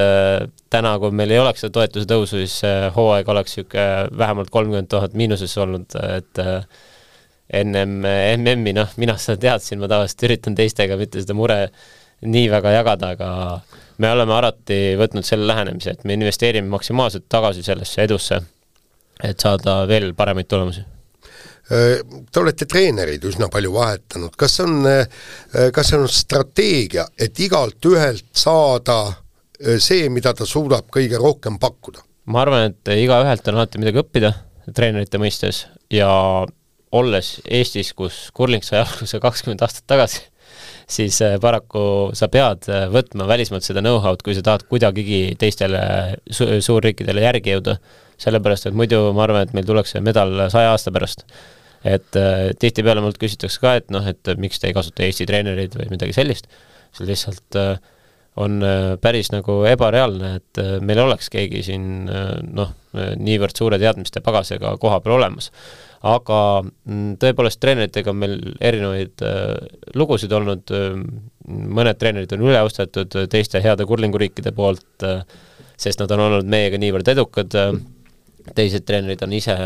täna, kui meil ei oleks seda toetuse tõusu, siis hooaeg oleks siuke vähemalt kolmkümmend tuhat miinuses olnud, et ennem M M-i, noh, mina seda teadsin, ma tavaliselt üritan teistega mitte seda mure nii väga jagada, aga me oleme alati võtnud selle lähenemise, et me investeerime maksimaalselt tagasi sellesse edusse, et saada veel paremaid tulemusi. Te olete treenerid üsna palju vahetanud. Kas on, kas on strateegia, et igalt ühelt saada see, mida ta suudab kõige rohkem pakkuda? Ma arvan, et iga ühelt on alati midagi õppida treenerite mõistes ja olles Eestis, kus kurling sai alguse kakskümmend aastat tagasi, siis paraku sa pead võtma välismaalt seda know-how'd, kui sa tahad kuidagigi teistele su suurriikidele järgi jõuda. Sellepärast, et muidu ma arvan, et meil tuleks see medal saja aasta pärast. Et tihti peale mult küsitakse ka, et noh, et miks te ei kasuta Eesti treenerid või midagi sellist. See lihtsalt on päris nagu ebareaalne, et meil oleks keegi siin noh, niivõrd suure teadmiste pagasega koha peal olemas. Aga tõepoolest treeneritega on meil erinevaid lugusid olnud, mõned treenerid on üleostetud teiste heade kurlinguriikide poolt, sest nad on olnud meiega niivõrd edukad, teised treenerid on ise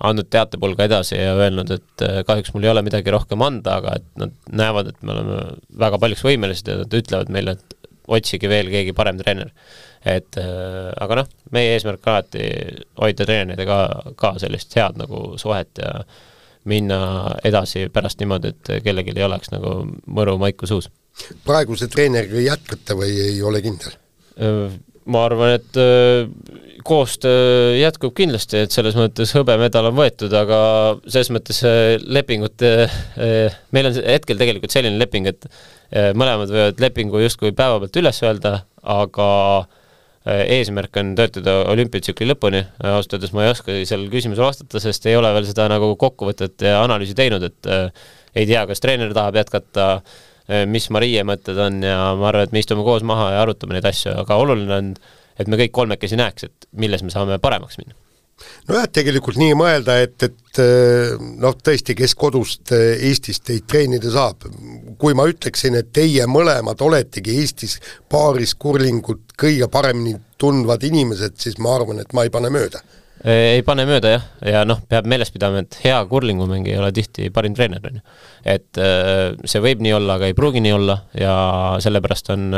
andnud teatepulga edasi ja öelnud, et kahjuks mul ei ole midagi rohkem anda, aga et nad näevad, et me oleme väga paljuks võimelised ja nad ütlevad meile, et otsige veel keegi parem treener. Et, aga noh, meie eesmärk alati hoida treeneridega ka sellist head nagu suhet ja minna edasi pärast niimoodi, et kellelgi ei oleks nagu mõru maiku suus. Praeguse treeneriga jätkate või ei ole kindel? Ma arvan, et koostöö jätkub kindlasti, et selles mõttes hõbemedal on võetud, aga selles mõttes lepingut, meil on hetkel tegelikult selline leping, et mõlemad võivad lepingu justkui päeva pealt üles öelda, aga eesmärk on töötada olümpiatsükli lõpuni. Austades ma ei oska seal küsimusele vastata, sest ei ole veel seda nagu kokkuvõtet ja analüüsi teinud, et ei tea, kas treener tahab jätkata, mis Marie mõtted on ja ma arvan, et me istume koos maha ja arutame neid asju, aga oluline on, et me kõik kolmekesi näeks, et milles me saame paremaks minna. No jah, tegelikult nii mõelda, et, et noh, tõesti, kes kodust Eestist teid treenida saab. Kui ma ütleksin, et teie mõlemad oletegi Eestis paaris kurlingut kõige paremini tundvad inimesed, siis ma arvan, et ma ei pane mööda. Ei pane mööda, jah. Ja noh, peab meeles pidama, et hea kurlingumängi ei ole tihti parim treener. Et see võib nii olla, aga ei pruugi nii olla ja sellepärast on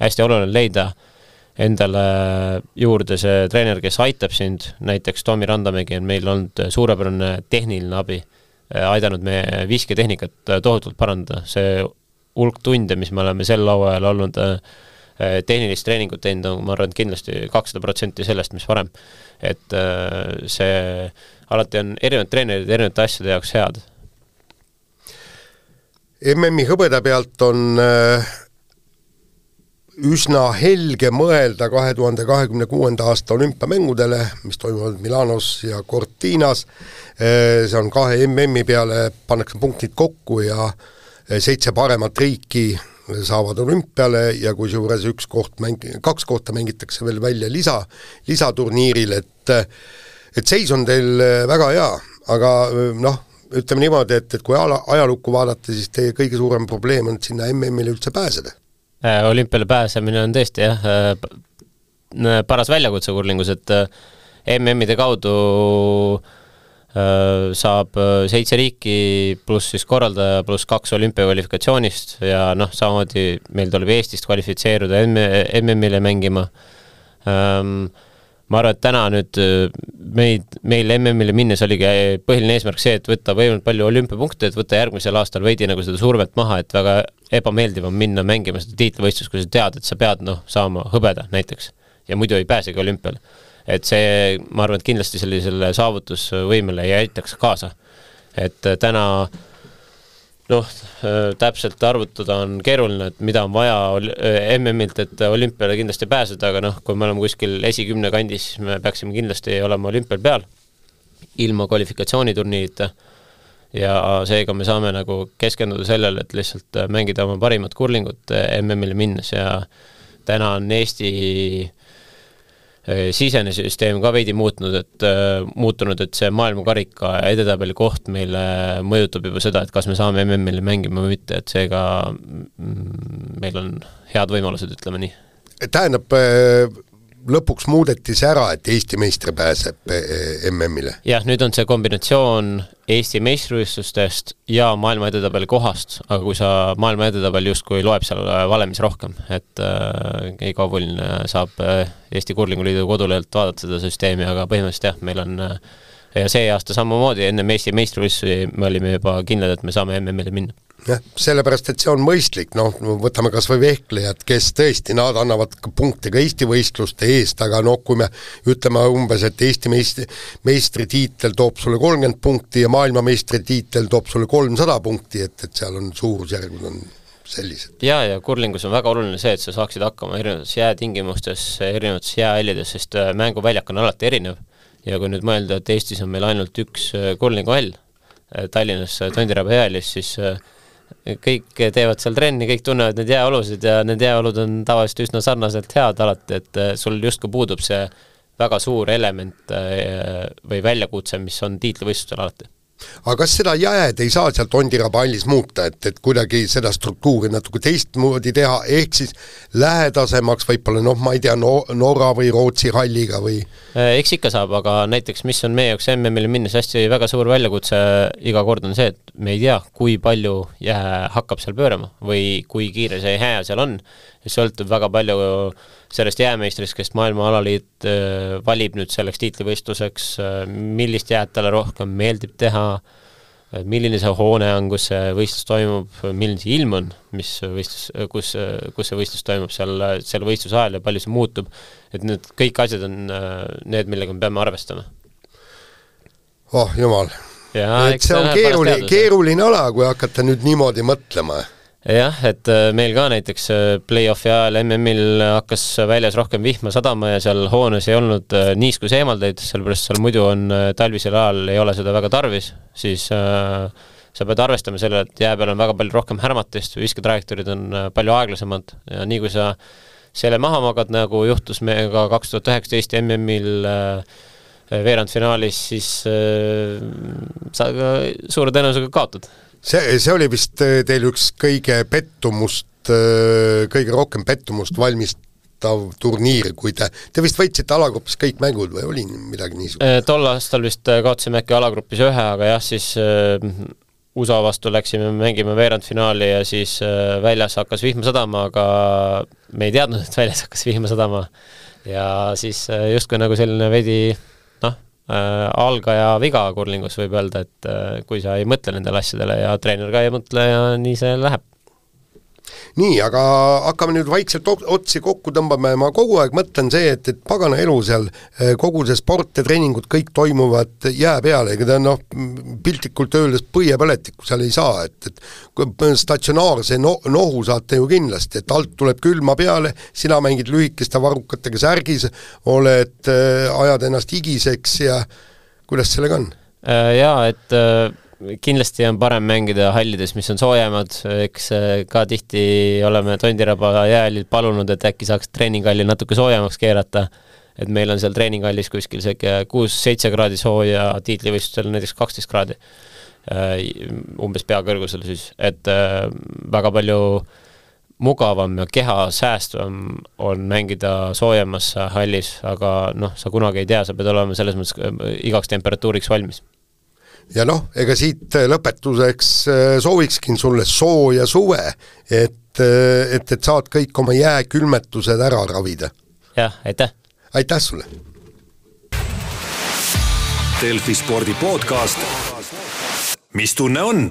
hästi oluline leida endale juurde see treener, kes aitab sind, näiteks Tomi Randamägi on meil olnud suurepärane tehniline abi, aidanud me visketehnikat tohutult parandada. See hulk tunde, mis me oleme sel lauajal olnud tehnilist treeningut teinud, ma arvan, kindlasti kakssada protsenti sellest, mis varem. Et see alati on erinevad treenerid erinevate asjade jaoks head. M M-i hõbeda pealt on üsna helge mõelda kahe tuhande kahekümne kuuenda aasta olümpiamängudele, mis toimuvad Milanos ja Cortinas. See on kahe M M-i peale, pannakse punktid kokku ja seitse paremat riiki saavad olümpiale ja kui juures üks koht mäng, kaks kohta mängitakse veel välja lisa, lisaturniiril, et, et seis on teil väga hea, aga noh, ütleme niimoodi, et, et kui ajalukku vaadata, siis teie kõige suurem probleem on sinna M M-ile üldse pääseda. Olümpiale pääsemine on tõesti jah, paras väljakutse kurlingus, et M M-ide kaudu saab seitse riiki pluss siis korraldaja pluss kaks olümpiakvalifikatsioonist ja noh, samamoodi meil tuleb Eestist kvalifitseeruda M M-ile mängima. Ma arvan, et täna nüüd meid, meil M M-ile minnes oligi põhiline eesmärk see, et võtta võimalikult palju olümpiapunkte, et võtta järgmisel aastal veidi nagu seda survet maha, et väga ebameeldiv on minna mängima seda tiitlivõistlust, kui sa tead, et sa pead noh, saama hõbeda näiteks ja muidu ei pääsegi olümpiale. Et see, ma arvan, et kindlasti sellisele saavutusvõimele ei aitaks kaasa. Et täna noh, täpselt arvutada on keeruline, et mida on vaja M M-ilt, et olümpiale kindlasti pääseda, aga noh, kui me oleme kuskil esikümne kandis, siis me peaksime kindlasti olema olümpial peal ilma kvalifikatsiooniturniirita ja seega me saame nagu keskenduda sellele, et lihtsalt mängida oma parimat kurlingut M M-ile minnes ja täna on Eesti sisene süsteem ka veidi muutnud, et muutunud, et see maailmakarika edetabeli koht meile mõjutab juba seda, et kas me saame M M-ile mängima või mitte, et seega meil on head võimalused, ütleme nii. Tähendab, lõpuks muudeti see ära, et Eesti meistri pääseb M M-ile? Jah, nüüd on see kombinatsioon Eesti meistrivõistlustest ja maailma edetabeli kohast, aga kui sa maailma edetabel justkui loeb seal valemis rohkem, et äh, iga oluline saab Eesti Kurlinguliidu kodulehelt vaadata seda süsteemi, aga põhimõtteliselt jah, meil on ja see aasta samamoodi enne Eesti meistrivõistlusi me olime juba kindlad, et me saame M M-ile minna. jah, sellepärast, et see on mõistlik, noh, võtame kas või vehklejad, kes tõesti, nad annavad punkte ka Eesti võistluste eest, aga noh, kui me ütleme umbes, et Eesti meistri, meistritiitel toob sulle kolmkümmend punkti ja maailma meistritiitel toob sulle kolmsada punkti, et, et seal on suurusjärgud on sellised. Ja, ja kurlingus on väga oluline see, et sa saaksid hakkama erinevates jäätingimustes, erinevates jäähällides, sest mänguväljak on alati erinev ja kui nüüd mõelda, et Eestis on meil ainult üks kurlinguhall, Tallinnas Tondiraba jäälis, siis kõik teevad seal trenni, kõik tunnevad need jääolusid ja need jääolud on tavaliselt üsna sarnaselt head alati, et sul justkui puudub see väga suur element või väljakutse, mis on tiitlivõistlustel alati. Aga kas seda jääd ei saa seal Tondiraba hallis muuta, et, et kuidagi seda struktuuri natuke teistmoodi teha, ehk siis lähedasemaks võib-olla, noh, ma ei tea, no, Norra või Rootsi halliga või? Eks ikka saab, aga näiteks mis on meie jaoks M M-ile minnes hästi väga suur väljakutse iga kord on see, et me ei tea, kui palju jää hakkab seal pöörama või kui kiire see hää seal on. Ja sõltub väga palju sellest jäämeistrist, kes maailma alaliit valib nüüd selleks tiitlivõistluseks, millist jääd talle rohkem meeldib teha, milline see hoone on, kus see võistlus toimub, milline see ilm on, mis võistlus, kus, kus see võistlus toimub seal, seal võistluse ajal ja palju see muutub. Et need kõik asjad on need, millega me peame arvestama. Oh, jumal. Ja, et see on keeruline, keeruline ala, kui hakata nüüd niimoodi mõtlema. Jah, et meil ka näiteks play-offi ajal M M-il hakkas väljas rohkem vihma sadama ja seal hoones ei olnud niiskus eemaldeid, sellepärast seal muidu on talvisel ajal ei ole seda väga tarvis, siis äh, sa pead arvestama selle, et jää peal on väga palju rohkem härmatist, viskatrajektoorid on palju aeglasemad ja nii kui sa selle maha magad, nagu juhtus meiega kaks tuhat üheksateist M M-il äh, veerandfinaalis, siis äh, sa ka suure tõenäosusega kaotad. See, see oli vist teil üks kõige pettumust, kõige rohkem pettumust valmistav turniir, kui te, te vist võitsite alagrupis kõik mängud või oli midagi niisugune? Tol aastal vist kaotasime äkki alagrupis ühe, aga jah, siis U S A vastu läksime mängima veerandfinaali ja siis väljas hakkas vihma sadama, aga me ei teadnud, et väljas hakkas vihma sadama ja siis justkui nagu selline veidi Äh, algaja viga kurlingus võib öelda, et äh, kui sa ei mõtle nendele asjadele ja treener ka ei mõtle ja nii see läheb. Nii, aga hakkame nüüd vaikselt otsi kokku tõmbame, ma kogu aeg mõtlen see, et, et pagana elu seal, kogu see sport ja treeningud kõik toimuvad jää peale, ega ta noh, piltlikult öeldes põiepõletikku seal ei saa, et, et statsionaarse no, nohu saate ju kindlasti, et alt tuleb külma peale, sina mängid lühikeste varrukatega särgis, oled, ajad ennast higiseks ja kuidas sellega on? Jaa, et kindlasti on parem mängida hallides, mis on soojemad, eks ka tihti oleme Tondiraba jäälil palunud, et äkki saaks treeninghalli natuke soojemaks keerata, et meil on seal treeninghallis kuskil kuus seitse kraadi sooja, tiitlivõistlustel näiteks kaksteist kraadi, umbes peakõrgusel siis, et väga palju mugavam ja keha säästvam on mängida soojemas hallis, aga noh, sa kunagi ei tea, sa pead olema selles mõttes igaks temperatuuriks valmis. Ja noh, ega siit lõpetuseks soovikskin sulle sooja suve, et, et, et saad kõik oma jääkülmetused ära ravida. Jah, aitäh! Aitäh sulle! Delfi spordi podcast. Mis tunne on?